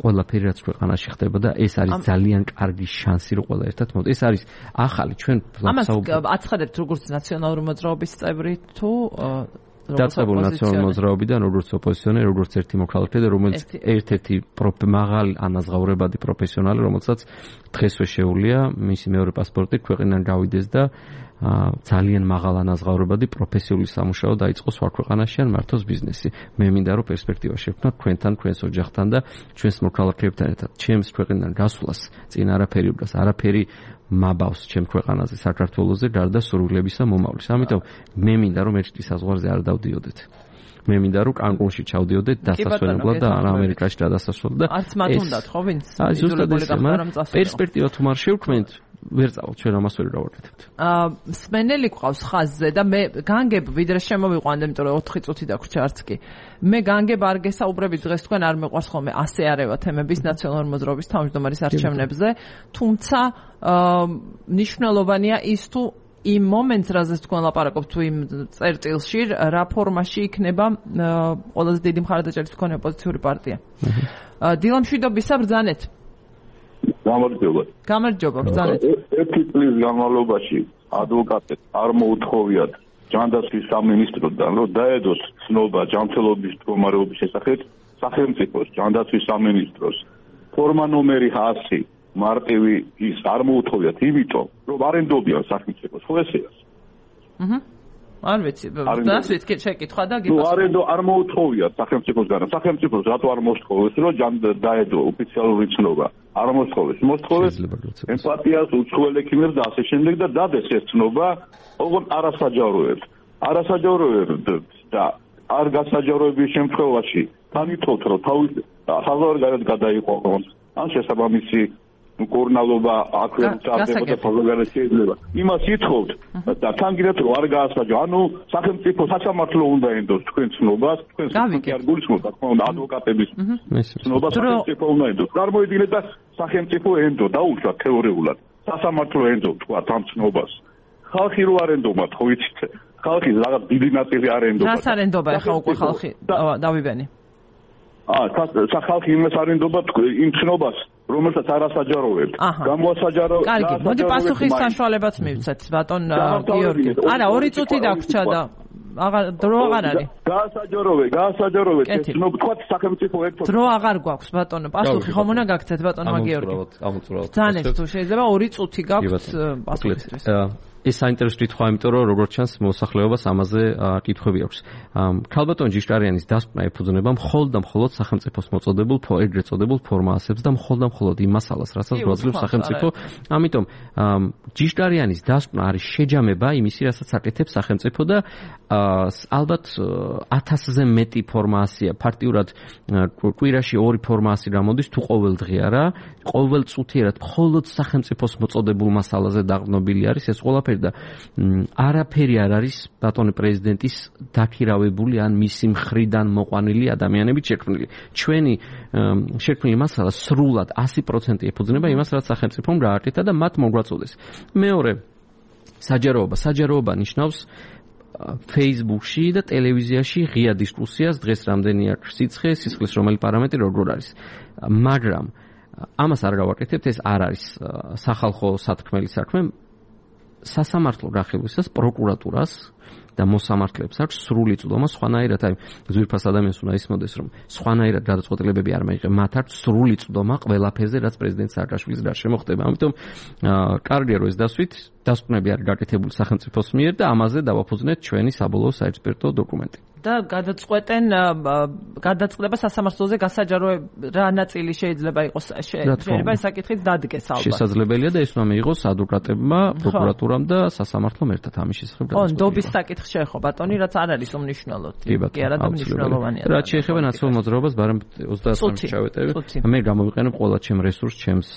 ყველაფერი რაც ქვეყანაში ხდება და ეს არის ძალიან კარგი შანსი რომ ყველა ერთად მოდი. ეს არის ახალი ჩვენ ამას აცხადებთ როგორც ნაციონალური მოძრაობის წევრი თუ დაწყებული ნაციონალური მოძრაობიდან როგორც ოპოზიციონერი, როგორც ერთი მოქალაქე და რომელიც ერთ-ერთი მაღალი ანაზღაურებადი პროფესიონალი, რომელსაც დღესვე შეუძლია მისი მეორე პასპორტი ქვეყნიდან გავიდეს და ძალიან მაღალ ანაზღაურებადი პროფესიული სამუშაო დაიწყოს სხვა ქვეყანაში ან მართოს ბიზნესი. მე მინდა რომ პერსპექტივა შექმნათ თქვენთან, თქვენს ოჯახთან და ჩვენს მოქალაქეებთან ერთად. ჩემს ქვეყნიდან გასვლას წინ არაფერი უბრალოდ არაფერი მაბავს ჩემ ქვეყანაზე საქართველოზე გარდა სურვილებისა მომავლის. ამიტომ მე მინდა რომ ერთ საზღვარზე არ დავდიოდეთ. მე მინდა რომ კანკუნში ჩავდიოდეთ დასასვენებლად და ამერიკაში გადასასვლელად და არც მათ უნდათ ხო ვინც იძულებული გახდა პერსპექტივა თუ არ შევქმნით ვერ წავალთ ჩვენ ამას ვერ გავაკეთებთ. სმენელი ყავს ხაზზე და მე განგებ ვიდრე შემოვიყვანდი, იმიტომ რომ 4 წუთი დაგვრჩა არც კი. მე განგებ არ გესაუბრებით დღეს თქვენ არ მეყვარს ხოლმე ასე არევა თემების ნაციონალური მოძრაობის თავმჯდომარის არჩევნებზე, თუმცა მნიშვნელოვანია ის თუ იმ მომენტს, რაზეც თქვენ ლაპარაკობთ თუ იმ წერტილში, რა ფორმაში იქნება ყველაზე დიდი მხარდაჭერის მქონე ოპოზიციური პარტია. დილამშვიდობისა ბრძანეთ. გამარჯობა, ბრძანეთ. ერთი წლის განმავლობაში ადვოკატებს არ მოუთხოვიათ ჯანდაცვის სამინისტროდან, რომ დაედოს ცნობა ჯანმრთელობის მდგომარეობის შესახებ სახელმწიფოს ჯანდაცვის სამინისტროს ფორმა ნომერი 100 მარტივი ის არ მოუთხოვიათ, იმიტომ რომ არ ენდობიან სახელმწიფოს ხო ესეა? არ ვიცი, დასვით შეკითხვა და გიპასუხე. არ მოუთხოვიათ სახელმწიფოსგან. სახელმწიფოს რატო არ მოსთხოვეს, რომ დაედო ოფიციალური ცნობა? არ მოსთხოვეს. მოსთხოვეს ემპათიას, უცხოელ ექიმებს და ასე შემდეგ და დადეს ეს ცნობა ოღონდ არასაჯაროებს. არასაჯაროებს და არ გასაჯაროების შემთხვევაში თანითოთ რომ თავის საზღვარგარეთ გადაიყვანონ. ან შესაბამისი კორნალობა აქვე წარდებოდა საზღვარგარეთ შეიძლება. იმას ითხოვთ და თან გინდათ რომ არ გაასაჯო. ანუ სახელმწიფო სასამართლო უნდა ენდოს თქვენ ცნობას, თქვენ არ გულისხმობთ, თქმა უნდა ადვოკატების ცნობა სახელმწიფო უნდა ენდოს. წარმოიდგინეთ და სახელმწიფო ენდო დაუშვათ თეორიულად. სასამართლო ენდო თქვა ამ ცნობას. ხალხი რო არ ენდობათ, ხო იცით? ხალხის რაღაც დიდი ნაწილი არ ენდობა. რას არ ენდობა ახლა უკვე ხალხი? დავიბენი. ხალხი იმას არ ენდობა იმ ცნობას, რომელსაც არასაჯაროებთ. გამოასაჯარო. კარგი, მოდი პასუხის საშუალებაც მივცეთ, ბატონ გიორგი. არა, 2 წუთი დაგვრჩა და დრო აღარ არის. გაასაჯაროვე, ცნობ თქვა სახელმწიფო ერთად. დრო აღარ გვაქვს, ბატონო, პასუხი ხომ უნდა გაგცეთ, ბატონო გიორგი. ძანეთ თუ შეიძლება 2 წუთი გაქვთ პასუხისთვის. ეს საინტერესო კითხვა, იმიტომ რომ როგორც ჩანს მოსახლეობას ამაზე კითხვები აქვს. ქალბატონ ჯიშტარიანის დასკვნა ეფუძნება მხოლოდ და მხოლოდ სახელმწიფოს მოწოდებულ ეგრეთ წოდებულ ფორმაციებს და მხოლოდ და მხოლოდ იმ მასალას, რასაც გვაძლევს სახელმწიფო. ამიტომ ჯიშტარიანის დასკვნა არის შეჯამება იმისი, რასაც აკეთებს სახელმწიფო და ალბათ 1000-ზე მეტი ფორმაცია ფაქტიურად კვირაში 2 ფორმაცია გამოდის თუ ყოველ დღე არა, ყოველ წუთიერად მხოლოდ სახელმწიფოს მოწოდებულ მასალაზე დაყრდნობილი არის ეს ყველაფერი და არაფერი არ არის ბატონი პრეზიდენტის დაქირავებული ან მისი მხრიდან მოყვანილი ადამიანებით შექმნილი. ჩვენი შექმნილი მასალა სრულად 100% ეფუძნება იმას, რაც სახელმწიფომ გააკეთა და მათ მოგვაწოდეს. მეორე, საჯაროობა ნიშნავს Facebook-ში და ტელევიზიაში ღია დისკუსიას, დღეს რამდენი აქვს სისხლის რომელი პარამეტრი როგორ არის. მაგრამ ამას არ გავაკეთებთ, ეს არ არის სახალხო სათქმელი საქმე. სასამართლო გახებისას პროკურატურას და მოსამართლეებს აქვს სრული წვდომა სხვანაირად, აი ზვირფას ადამიანს უნდა ისმოდეს, რომ სხვანაირად გადაწყვეტილებები არ მაიღებს, მათ აქვს სრული წვდომა ყველაფერზე, რაც პრეზიდენტ სააკაშვილის გარშემო ხდება. ამიტომ კარგია რომ ეს დასვით, დასკვნები არის გაკეთებული სახელმწიფოს მიერ და ამაზე დავაფუძნეთ ჩვენი საბოლოო საექსპერტო დოკუმენტი. და გადაწყვეტება სასამართლოზე გასაჯარო რა ნაწილი შეიძლება იყოს შეიძლება ეს საკითხიც დადგეს ალბათ. შესაძლებელია და ეს უნდა მიიღოს ადვოკატებმა, პროკურატურამ და სასამართლომ ერთად ამის შესახებ გადაწყვეტილება. ნდობის საკითხი შეეხო ბატონი, რაც არ არის უმნიშვნელო. კი არა და მნიშვნელოვანია. რაც შეეხება ნაციონალურ მოძრაობას, ბარემ 23-ში ჩავეტევი. მე გამოვიყენებ ყველა ჩემ რესურსს, ჩემს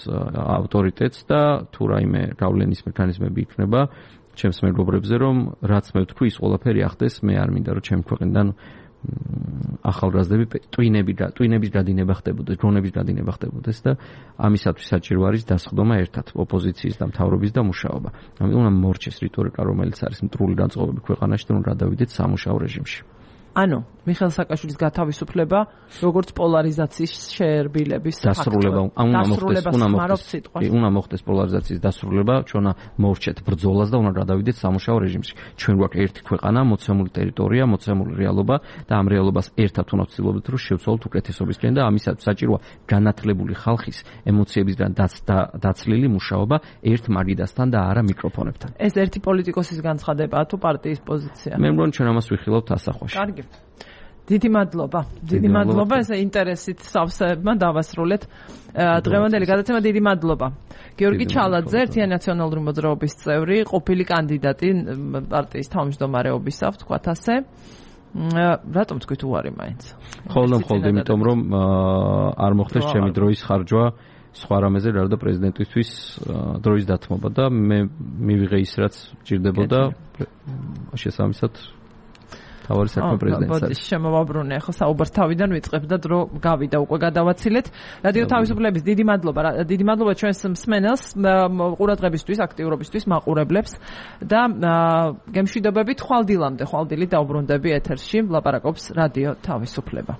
ავტორიტეტს და თუ რაიმე გავლენის მექანიზმები იქნება ჩემს მეგობრებზე, რომ რაც მე ვთქვი, ის ყველაფერი ახდეს, მე არ მინდა რომ ჩემ ქვეყნიდან ახალგაზრდები ტვინების გადინება ხდებოდეს, დრონების გადინება ხდებოდეს და ამისათვის საჭირო არის დასხდომა ერთად ოპოზიციის და მთავრობის და მუშაობა. ამიტომ უნდა მორჩეს რიტორიკა, რომელიც არის მტრული განწყობები ქვეყანაში და უნდა გადავიდეთ სამუშაო რეჟიმში. ანუ მიხეილ სააკაშვილის გათავისუფლება როგორც პოლარიზაციის შეერბილების დასრულება უნდა მოხდეს პოლარიზაციის დასრულება, ჩვენ მოვრჩეთ ბრძოლას და უნდა გადავიდეთ სამუშაო რეჟიმში. ჩვენ გვაქვს ერთი ქვეყანა, მოცემული ტერიტორია, მოცემული რეალობა და ამ რეალობას ერთად უნდა ვცდილობთ რომ შევცვალოთ უკეთესობისკენ და ამისათვის საჭიროა განათლებული ხალხის ემოციებისგან დაცლილი მუშაობა ერთ მაგიდასთან და არა მიკროფონებთან. ეს ერთი პოლიტიკოსის განცხადებაა თუ პარტიის პოზიცია? მე მგონი ჩვენ ამას ვიხილავთ ასახვაში. კარგი. დიდი მადლობა ესე ინტერესით სავსეებმა დავასრულეთ დღევანდელი გადაცემა. დიდი მადლობა გიორგი ჩალაძე, ერთიანი ნაციონალური მოძრაობის წევრი, ყოფილი კანდიდატი პარტიის თავმჯდომარეობისა, ვთქვათ ასე. რატომ თქვით უარი მაინც? ხოლმე იმიტომ რომ არ მოხდეს ჩემი დროის ხარჯვა სხვა რამეზე რა და პრეზიდენტისთვის დროის დათმობა და მე მივიღე ის რაც ჭირდებოდა შესაბამისად თავარი საქმე პრეზიდენტს არის. შემოვაბრუნე, ხო საუბარს თავიდან ვიწყებ და დრო გავიდა უკვე გადავაცილეთ. რადიო თავისუფლების დიდი მადლობა ჩვენს მსმენელს, ყურადღებისთვის, აქტიურობისთვის, მაყურებლებს და გემშვიდობებით ხვალდილამდე, ხვალდილი დავბრუნდები ეთერში, ლაპარაკობს რადიო თავისუფლება.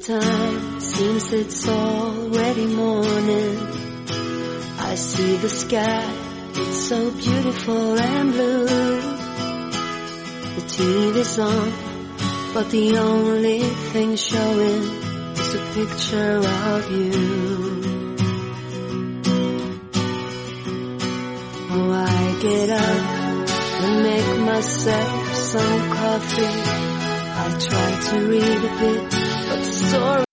time, seems it's already morning. I see the sky, it's so beautiful and blue. The TV's on, but the only thing showing is a picture of you. Oh, I get up and make myself some coffee. I try to read a bit, but the store